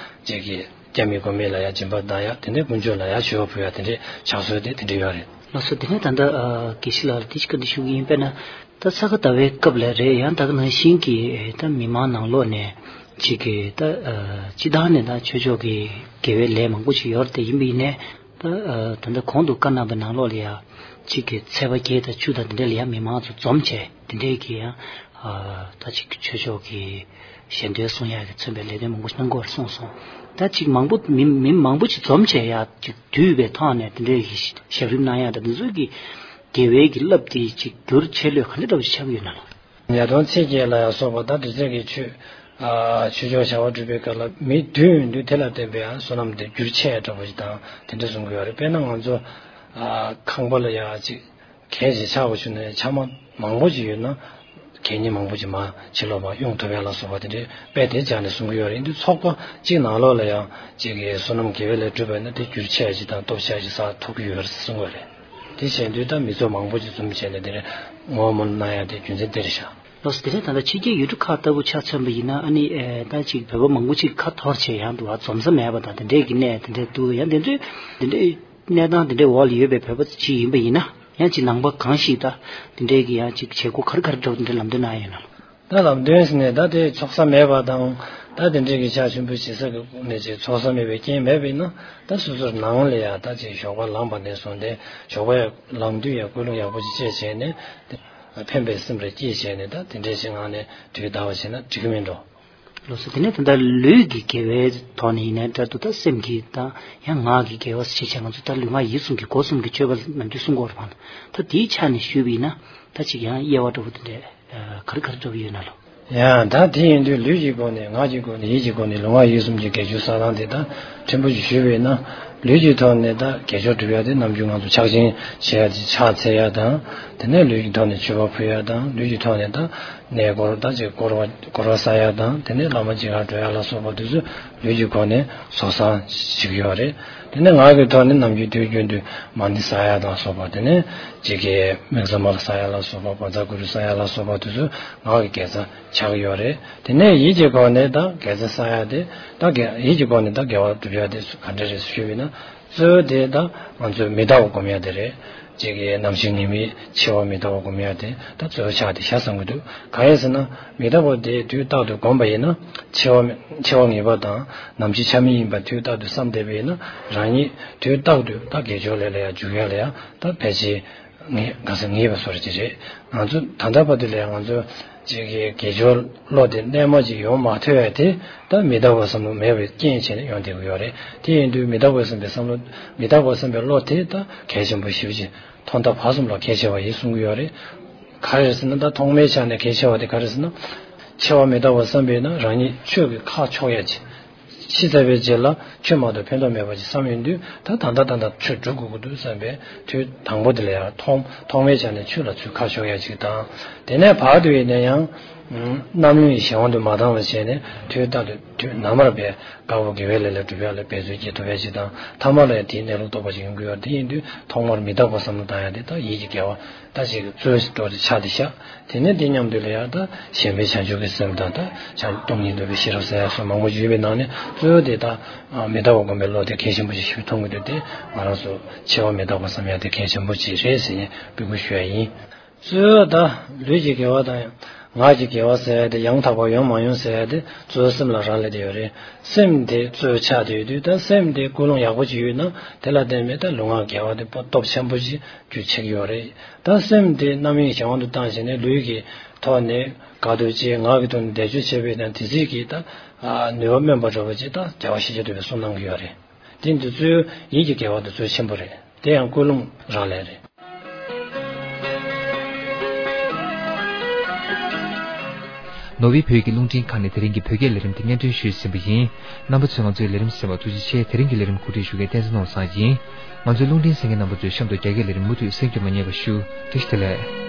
ཅིག་གིས་སྐྱབས་མེད་མགོན་མེད་ལ་ཡང་སྦྱིན་པ་བཏང་ཡ། དེ་འདྲའི་ཀུན་སྤྱོད་ལ་ཡང་ཞི་བ་ཕུལ་ཡ། དེ་འདྲའི་ཕྱག་སྲོལ་དེ་དེ་འདྲ་ཡོད་རེད། ལགས་སོ། དེ་ནས་ད་ལྟ་ཨ་དགེ་བཤེས་ལགས་ལ་དེ་ཅིག་བཀའ་འདྲི་ཞུ་གི་ཡིན། དཔེར་ན་ད་ས་ག་ཟླ་བའི་སྐབས་ལ་རེད། ཡང་ད་ག་ནང་བཞིན་གྱི་ད་མི་མང་ནང་ལོགས་ནས་ཅིག་གིས་ད་ཨ་སྤྱི་བཏང་ནས་ད་ཆོས་ཕྱོགས་ཀྱི་དགེ་བའི་ལས་མང་པོ་ཞིག་ཡོད་རེད། དེ་ཡིན་པ་ཡིན་ནའི་ད་ཨ་ད་ལྟ་གོང་དུ་བཀའ་གནང་པའི་ནང་ལོགས་ལ་ཡང་ཅིག་གིས་ཚད་པ་བརྒྱད་དང་བཅུ་དང་དེ་འདྲ་ལ་ཡང་མི་མང་ཚོ་འཛོམས་བྱས་དེ་འདྲས་ཀྱི་ཡང་ཨ་ད་ཅིག་ཆོས་ཕྱོགས་ཀྱི་ཞལ་འདོན་གསུང་ཡག་གི་མཚོན་པའི་ལས་དོན་མང་པོ་ཞིག་གནང་དགོས་རེད་གསུངས་སོང་། ད་ཅིག་མང་པོ་མི་མི་མང་པོ་ཞིག་འཛོམས་བྱས་ཡ་ཅིག་འདུས་པའི་ཐོག་ནས་དེ་འདྲའི་གི་ཞབས་རིམ་གནང་ཡ་ད་དེ་ཚོའི་གི་དགེ་བའི་གི་རླབས་དེ་ཅིག་འགྱུར་ཆེ་ལོས་ག་འདྲ་འདྲ་པོ་ཞིག་ཆགས་ཀྱི་ཡོད་ན་ལགས། ཉ་སྟོང་ཚེས་བརྒྱད་ལ་ཡང་སོགས་པ་ད་འབྲི་རྩལ་གྱི་ཆོས་ཨ་ཆོས་ཕྱོགས་བྱ་བ་སྒྲུབ་པའི་སྐབས་ལ་མི་འདུས་ཡོང་དུས་དེ་ལ་བརྟེན་པའི་ཡང་བསོད་ནམས་དེ་འགྱུར་ཆེ་འདྲ་པོ་ཞིག་དང་དེ་འདྲ་གསུང་གི་ཡོད་རེད། དཔེར་ན་ང་ཚོ་ཨ་ཁང་པ་ལ་ཡང་ཅིག་གས་ཤིག་ཆགས་པ་བྱུང་ན་ཕྱགས་མ་མང་པོ་ཅིག་ཡོད་ན་གད་སྙིགས་མང་པོ་ཅིག་མར་ཕྱི་ལོགས་མར་དབྱུང་ཐུབ་ཡ་ལ་སོགས་པ་དེ་འདྲའི་དཔེ་དེ་སྦྱར་ནས་གསུང་གི་ཡོད་རེད། འདི་ཚོགས་པ་གཅིག་ནང་ལོགས་ལ་ཡང་གཅིག་གིས་བསོད་ནམས་དགེ་བའི་ལས་སྒྲུབ་པ་ཡིན་ན་དེ་འགྱུར་ཆེ་ཡ་ཅིག་དང་སྟོབས་ཆེ་ཡ་ཅིག་ས་ཐོབ་ཀྱི་ཡོད་རེད་གསུང་གི་ཡོད་རེད། དེ་བྱས་དུས་ད་མི་ཚོགས་མང་པོ་ཅིག་འཛོམས་བྱས་ནས་དེ་འདྲའི་ངོ་བོ་མ་གནང་ཡ་དེ་རྒྱུ་མཚན་དེ་རེད་ཤག་ལགས་སོ། དེ་ནས་ད་ལྟ་ཕྱི་རྒྱལ་ཡུལ་གྲུ་ཁག་ལྟ་བུ་ཆ་མཚོན་པ་ཡིན་ན་ཨ་ནི་ཨེ་ད་ཅིག་བོད་པ་མང་པོ་ཅིག་ཁ་འཐོར་བྱས་ཡང་འདུག་བ་འཛོམས་ས་མེད་པ་དང་དེ་འདྲས་ཀྱི་གནས་དེ་འདྲས་འདུག་ཡང་དེ་ཚོའི་དེ་འདྲས་གནས་སྟངས་དེ་འདྲའི་འོག་ལ་ཡོད་པའི་བོད་པ་ཅིག་ཡིན་པ་ཡིན་ན་ཡང་ཅིག་ནང་པ་གང་ཞིག་ད་དེ་འདྲས་ཀྱི་ཡང་ཅིག་བྱེད་སྒོ་ག་རེ་ག་རེ་འགྲོ་དེ་འདྲས་ལམ་སྟོན་གནང་ཡོད་ན། ད་ལམ་སྟོན་ཟེར་ནས་ད་དེ་ཚོགས་ས་མེད་པ་དང་ད་དེ་འདྲས་ཀྱི་ཕྱག་ཆེན་པོ་བྱེད་ས་གི་ནས་ཅིག་ཚོགས་ས་མེད་པའི་རྐྱེན་མེད་པ་ཡིན་ན་ད་སོ་སོར་ནང་ལ་ཡ་ད་ཅིག་ཞོགས་པ་ལངས་པ་ནས་བཟུང་སྟེ་ཞོགས་པ་ཡ་ལངས་དུས་ཡ་ཀུན་སློང་ཡག་པོ་ཅིག་སྤྱད་བྱས་ནས་དེ་ཕན་པའི་སེམས་རེ་སྐྱེས་བྱས་ནས་ད་དེ་འདྲས་ཞིག་ངང་ནས་དུས་འདའ་བ་བྱས་ན་འགྲིག་གི་མིན་འགྲོ། ལགས་སོ། དེ་ནས་ད་ལྟ་ལུས་ཀྱི་དགེ་བའི་ཐོག་ནས་ཡིན་ནའི་འདྲ་འདུག་ད་སེམས་ཀྱི་དང་ཡང་ངག་གི་དགེ་བ་ཞེས་བྱ་ང་ཚོ་ད་ལུས་ངག་ཡིད་གསུམ་གྱི་སྒོ་གསུམ་གྱི་སྤྱོད་པ་ནམ་རྒྱུན་གསུང་གི་ཡོད་རེད་པ། ད་དེའི་ཆ་ནས་ཞུས་པ་ཡིན་ན་ད་ཅིག་ཡང་དབྱེ་བ་འདྲ་པོ་དེ་འདྲས་ག་རེ་ག་རེ་འདྲ་པོ་ཡོད་ན་ལོ། ཡང་ད་དེ་ཡིན་དུས་ལུས་ཀྱི་སྒོ་ནས་ངག་གི་སྒོ་ནས་ཡིད་ཀྱི་སྒོ་ནས་ལུས་ངག་ཡིད་གསུམ་གྱི་དགེ་སྦྱོར་བསགས་སྟངས་དེ་ད་ཕྲན་བུ་ཞིག་ཞུས་པ་ཡིན་ན་ལུས་ཀྱི་ཐོག་ནས་ད་དགེ་སྦྱོར་སྒྲུབ་ཡ་དེ་ནམ་རྒྱུན་ང་ཚོ་ཕྱག་ཆེན་བྱེད་ཡ་དེ་ཕྱག་འཚལ་ཡ་དང་དེ་ནས་ལུས་ཀྱི་ཐོག་ནས་མཆོད་པ་ཕུལ་ཡ་དང་ལུས་ཀྱི་ཐོག་ནས་ད་གནས་སྐོར་ད་ཅིག་སྐོར་བ་སྐོར་བ་ཟ་ཡ་དང་དེ་ནས་བླ་མ་མཇལ་ཁ་འགྲོ་ཡ་ལ་སོགས་པ་དེ་ཚོ་ལུས་ཀྱི་སྒོ་ནས་བཟོ་བསམ་བྱེད་ཀྱི་ཡོད་རེད། དེ་ནས་ངག་གི་ཐོག་ནས་ནམ་རྒྱུན་དུས་རྒྱུན་དུ་མ་ཎི་བསགས་ཡ་དང་སོགས་པ་དེ་ནས་ཅིག་གི་དམིགས་བརྩེ་མ་ལ་བསགས་ཡ་ལ་སོགས་པ་བཛྲ་གུ་རུ་བསགས་ཡ་ལ་སོགས་པ་དེ་ཚོ་ངག་གི་དགེ་རྩ་ཆགས་ཀྱི་ཡོད་རེད། དེ་ནས་ཡིད་ཀྱི་སྒོ་ནས་ད་དགེ་རྩ་བསགས་ཡ་དེ་ད་དགེ་ཡིད་ཀྱི་སྒོ་ནས་ད་དགེ་བ་སྒྲུབ་ཡ་དེ་ག་འདྲ་རེད་ཞུས་པ་ཡིན་ན། གཙོ་བོ་དེ་ད་ང་ཚོས་མི་རྟག་པ་སྒོམ་ཡ་དེ་རེད། གཅིག་གི་ནམ་ཞིག་ངེས་མེད་འཆི་བ་མི་རྟག་པ་སྒོམ་ཡ་དེ་ད་གཙོ་བོ་ཆགས་དེ་ཤ་བཟང་གི་འདུག་གང་ཡིན་ཟེར་ན་མི་རྟག་པ་དེ་དུས་རྟག་ཏུ་སྒོམ་པ་ཡིན་ན་འཆི་བ་མི་འཆི་བ་ངེས་པ་དང་ནམ་འཆི་ཆ་མེད་ཡིན་པ་དུས་རྟག་ཏུ་བསམ་བསྡད་པ་ཡིན་ན་རང་ཉིད་དུས་རྟག་ཏུ་ད་དགེ་སྦྱོར་ལས་ལ་ཡ་འཇུག་ཡ་ལ་ཡ་ད་ཕལ་ཆེར་ངེས་ག་ས་ངེས་པ་བཟོ་འདྲ་ཅིག་རེད། ང་ཚོ་ད་ལྟ་བར་དུ་ལ་ཡ་ང་ཚོ། གཅིག་གི་དགེ་སྦྱོར་བློ་དེ་རྣལ་མ་ཅིག་ཡོང་མ་ཐུབ་པས་དེ་ད་མི་རྟག་པ་བསམ་བློ་མེད་པའི་རྐྱེན་བྱས་ནས་ཡོང་བསྡད་ཀྱི་ཡོད་རེད། དེ་ཡིན་དུས་མི་རྟག་པ་བསམ་པའི་བསམ་བློ་མི་རྟག་པ་བསམ་པའི་བློ་དེ་ད་གལ་ཆེན་པོ་ཞེ་པོ་ཅིག་ཐོག་མཐའ་བར་གསུམ་ལ་གལ་ཆེ་བ་ཡིན་གསུང་གི་ཡོད་རེད། ག་རེ་རེད་ཟེར་ན་ད་ཐོག་མའི་ཆ་ནས་གལ་ཆེ་བ་དེ་ག་རེ་ཟེར་ན། འཆི་བ་མི་རྟག་པ་བསམ་པས་ན་རང་ཉིད་ཆོས་ཀྱི་ཁ་ཕྱོགས་ཡ་ཅིག་ཤི་ཚར་བའི་རྗེས་ལ་ཆོས་མ་གཏོགས་ཕན་ཐོགས་མེད་པ་ཅིག་བསམ་ཡོང་དུས་ད་ད་ལྟ་ད་ལྟ་ཆོས་སྒྲུབ་དགོས་ཀྱི་འདུག་བསམ་པའི་དུས་དང་པོ་དེ་ལ་ཡང་ཐོག་ཐོག་མའི་ཆ་ནས་ཆོས་ལ་ཚུར་ཁ་ཕྱོགས་ཡ་ཅིག་དང་། དེ་ནས་བར་དུ་ཡིན་ན་ཡང་རྣམ་གཡེང་གཞན་དབང་དུ་མ་བཏང་བ་བྱས་ནས་དུས་རྟག་ཏུ་དུས་ནམ་མར་བས་དཀར་པོ་དགེ་བའི་ལས་ལ་སྒྲུབ་ཡ་ལ་འབད་རྩོལ་བསྐྱེད་ཐུབ་ཡ་ཅིག་དང་ཐ་མ་ལ་ཡང་དེའི་གནས་ལུགས་རྟོགས་པ་ཅིག་ཡོང་གི་ཡོད་རེད། དེ་ཡིན་དུས་ཐོག་མར་མི་རྟག་པ་བསམ་བློ་བཏང་ཡ་དེ་ད་ཡིད་ཀྱི་དགེ་བ། ད་ཅིག་གཙོ་བོ་ཏོག་ཙམ་ཆགས་ཏེ་བཞག་དེ་ནས་དེ་མཉམ་དུ་ལ་ཡང་ད་ཞེན་པའི་བྱང་ཆུབ་ཀྱི་སེམས་དང་ད་བྱང་སྟོང་ཉིད་རྟོགས་པའི་ཤེས་རབ་ཟེར་ཡ་སོགས་མང་པོ་ཡོད་པའི་ནང་ནས་གཙོ་བོ་དེ་ད་མི་རྟག་པ་སྒོམ་པའི་བློ་དེ་གལ་ཆེན་པོ་ཞིག་ཞིག་མཐོང་གི་འདུག་དེ་ང་རང་ཚོ་འཆི་བ་མི་རྟག་པ་བསམ་ཡ་དེ་གལ་ཆེན་པོ་ཅིག་རེད་ཟེར་ནས་འབོད་སྐུལ་ཞུ་ཡ་ཡིན། གཙོ་བོ་ད་ལུས་ཀྱི་དགེ་བ་དང་ངག་གི་དགེ་བ་ཟེར་ཡ་དེ་ཡང་དག་པ་ཡོང་མ་ཡོང་ཟེར་ཡ་དེ་གཙོ་བོ་སེམས་ལ་རག་ལས་བསྡད་ཡོད་རེད། སེམས་དེ་གཙོ་བོ་ཆགས་བསྡད་ཡོད་དུས་ད་སེམས་དེ་ཀུན་སློང་ཡག་པོ་ཅིག་ཡོད་ན་དེ་ལ་བརྟེན་ནས་ད་ལུས་ངག་དགེ་བ་དེ་སྟོབས་ཆེན་པོ་ཅིག་རྒྱུ་ཆགས་ཀྱི་ཡོད་རེད། ད་སེམས་དེ་རྣམ་གཡེང་གཞན་དབང་དུ་བཏང་བྱས་ནས་ལུས་ཀྱི་ཐོག་ནས་དགའ་སྡུག་ཅིག་ངག་གི་ཐོག་ནས་བཟླས་བརྗོད་བྱེད་པའི་དང་དེ་ཚིག་གིས་ད་ནུས་པ་སྨོན་པ་འདྲ་བོ་ཅིག་ད་རྒྱལ་བ་ཤཱཀྱ་ཐུབ་པས་གསུངས་གནང་གི་ཡོད་རེད། དེ་འདི་ཚོའི་ཡིད་ཀྱི་དགེ་བ་དེ་ཚོ་ཆེན་པོ་རེད། དེ་ཡང་ཀུན་སློང་རག་ལས་རེད། ནོར་ཝེ་བོད་ཀྱི་རླུང་འཕྲིན་ཁང་ནས་དེ་རིང་གི་བོད་སྐད་ལས་རིམ་དེ་སྙན་སྒྲོན་ཞུས་ཟིན་པ་ཡིན། རྣམ་པ་ཚོས་ང་ཚོའི་ལས་རིམ་གསན་པར་ཐུགས་རྗེ་ཆེ། དེ་རིང་གི་ལས་རིམ་གོ་སྒྲིག་ཞུ་མཁན་བསྟན་འཛིན་ནོར་བཟང་ཡིན། ང་ཚོའི་རླུང་འཕྲིན་གསན་མཁན་རྣམ་པ་ཚོས་གཤམ་དུ་རྒྱ་སྐད་ལས་རིམ་མུ་མཐུད་གསན་རྒྱུ་མ་བསྙེལ་བ་ཞུ། བཀྲ་ཤིས་བདེ་ལེགས།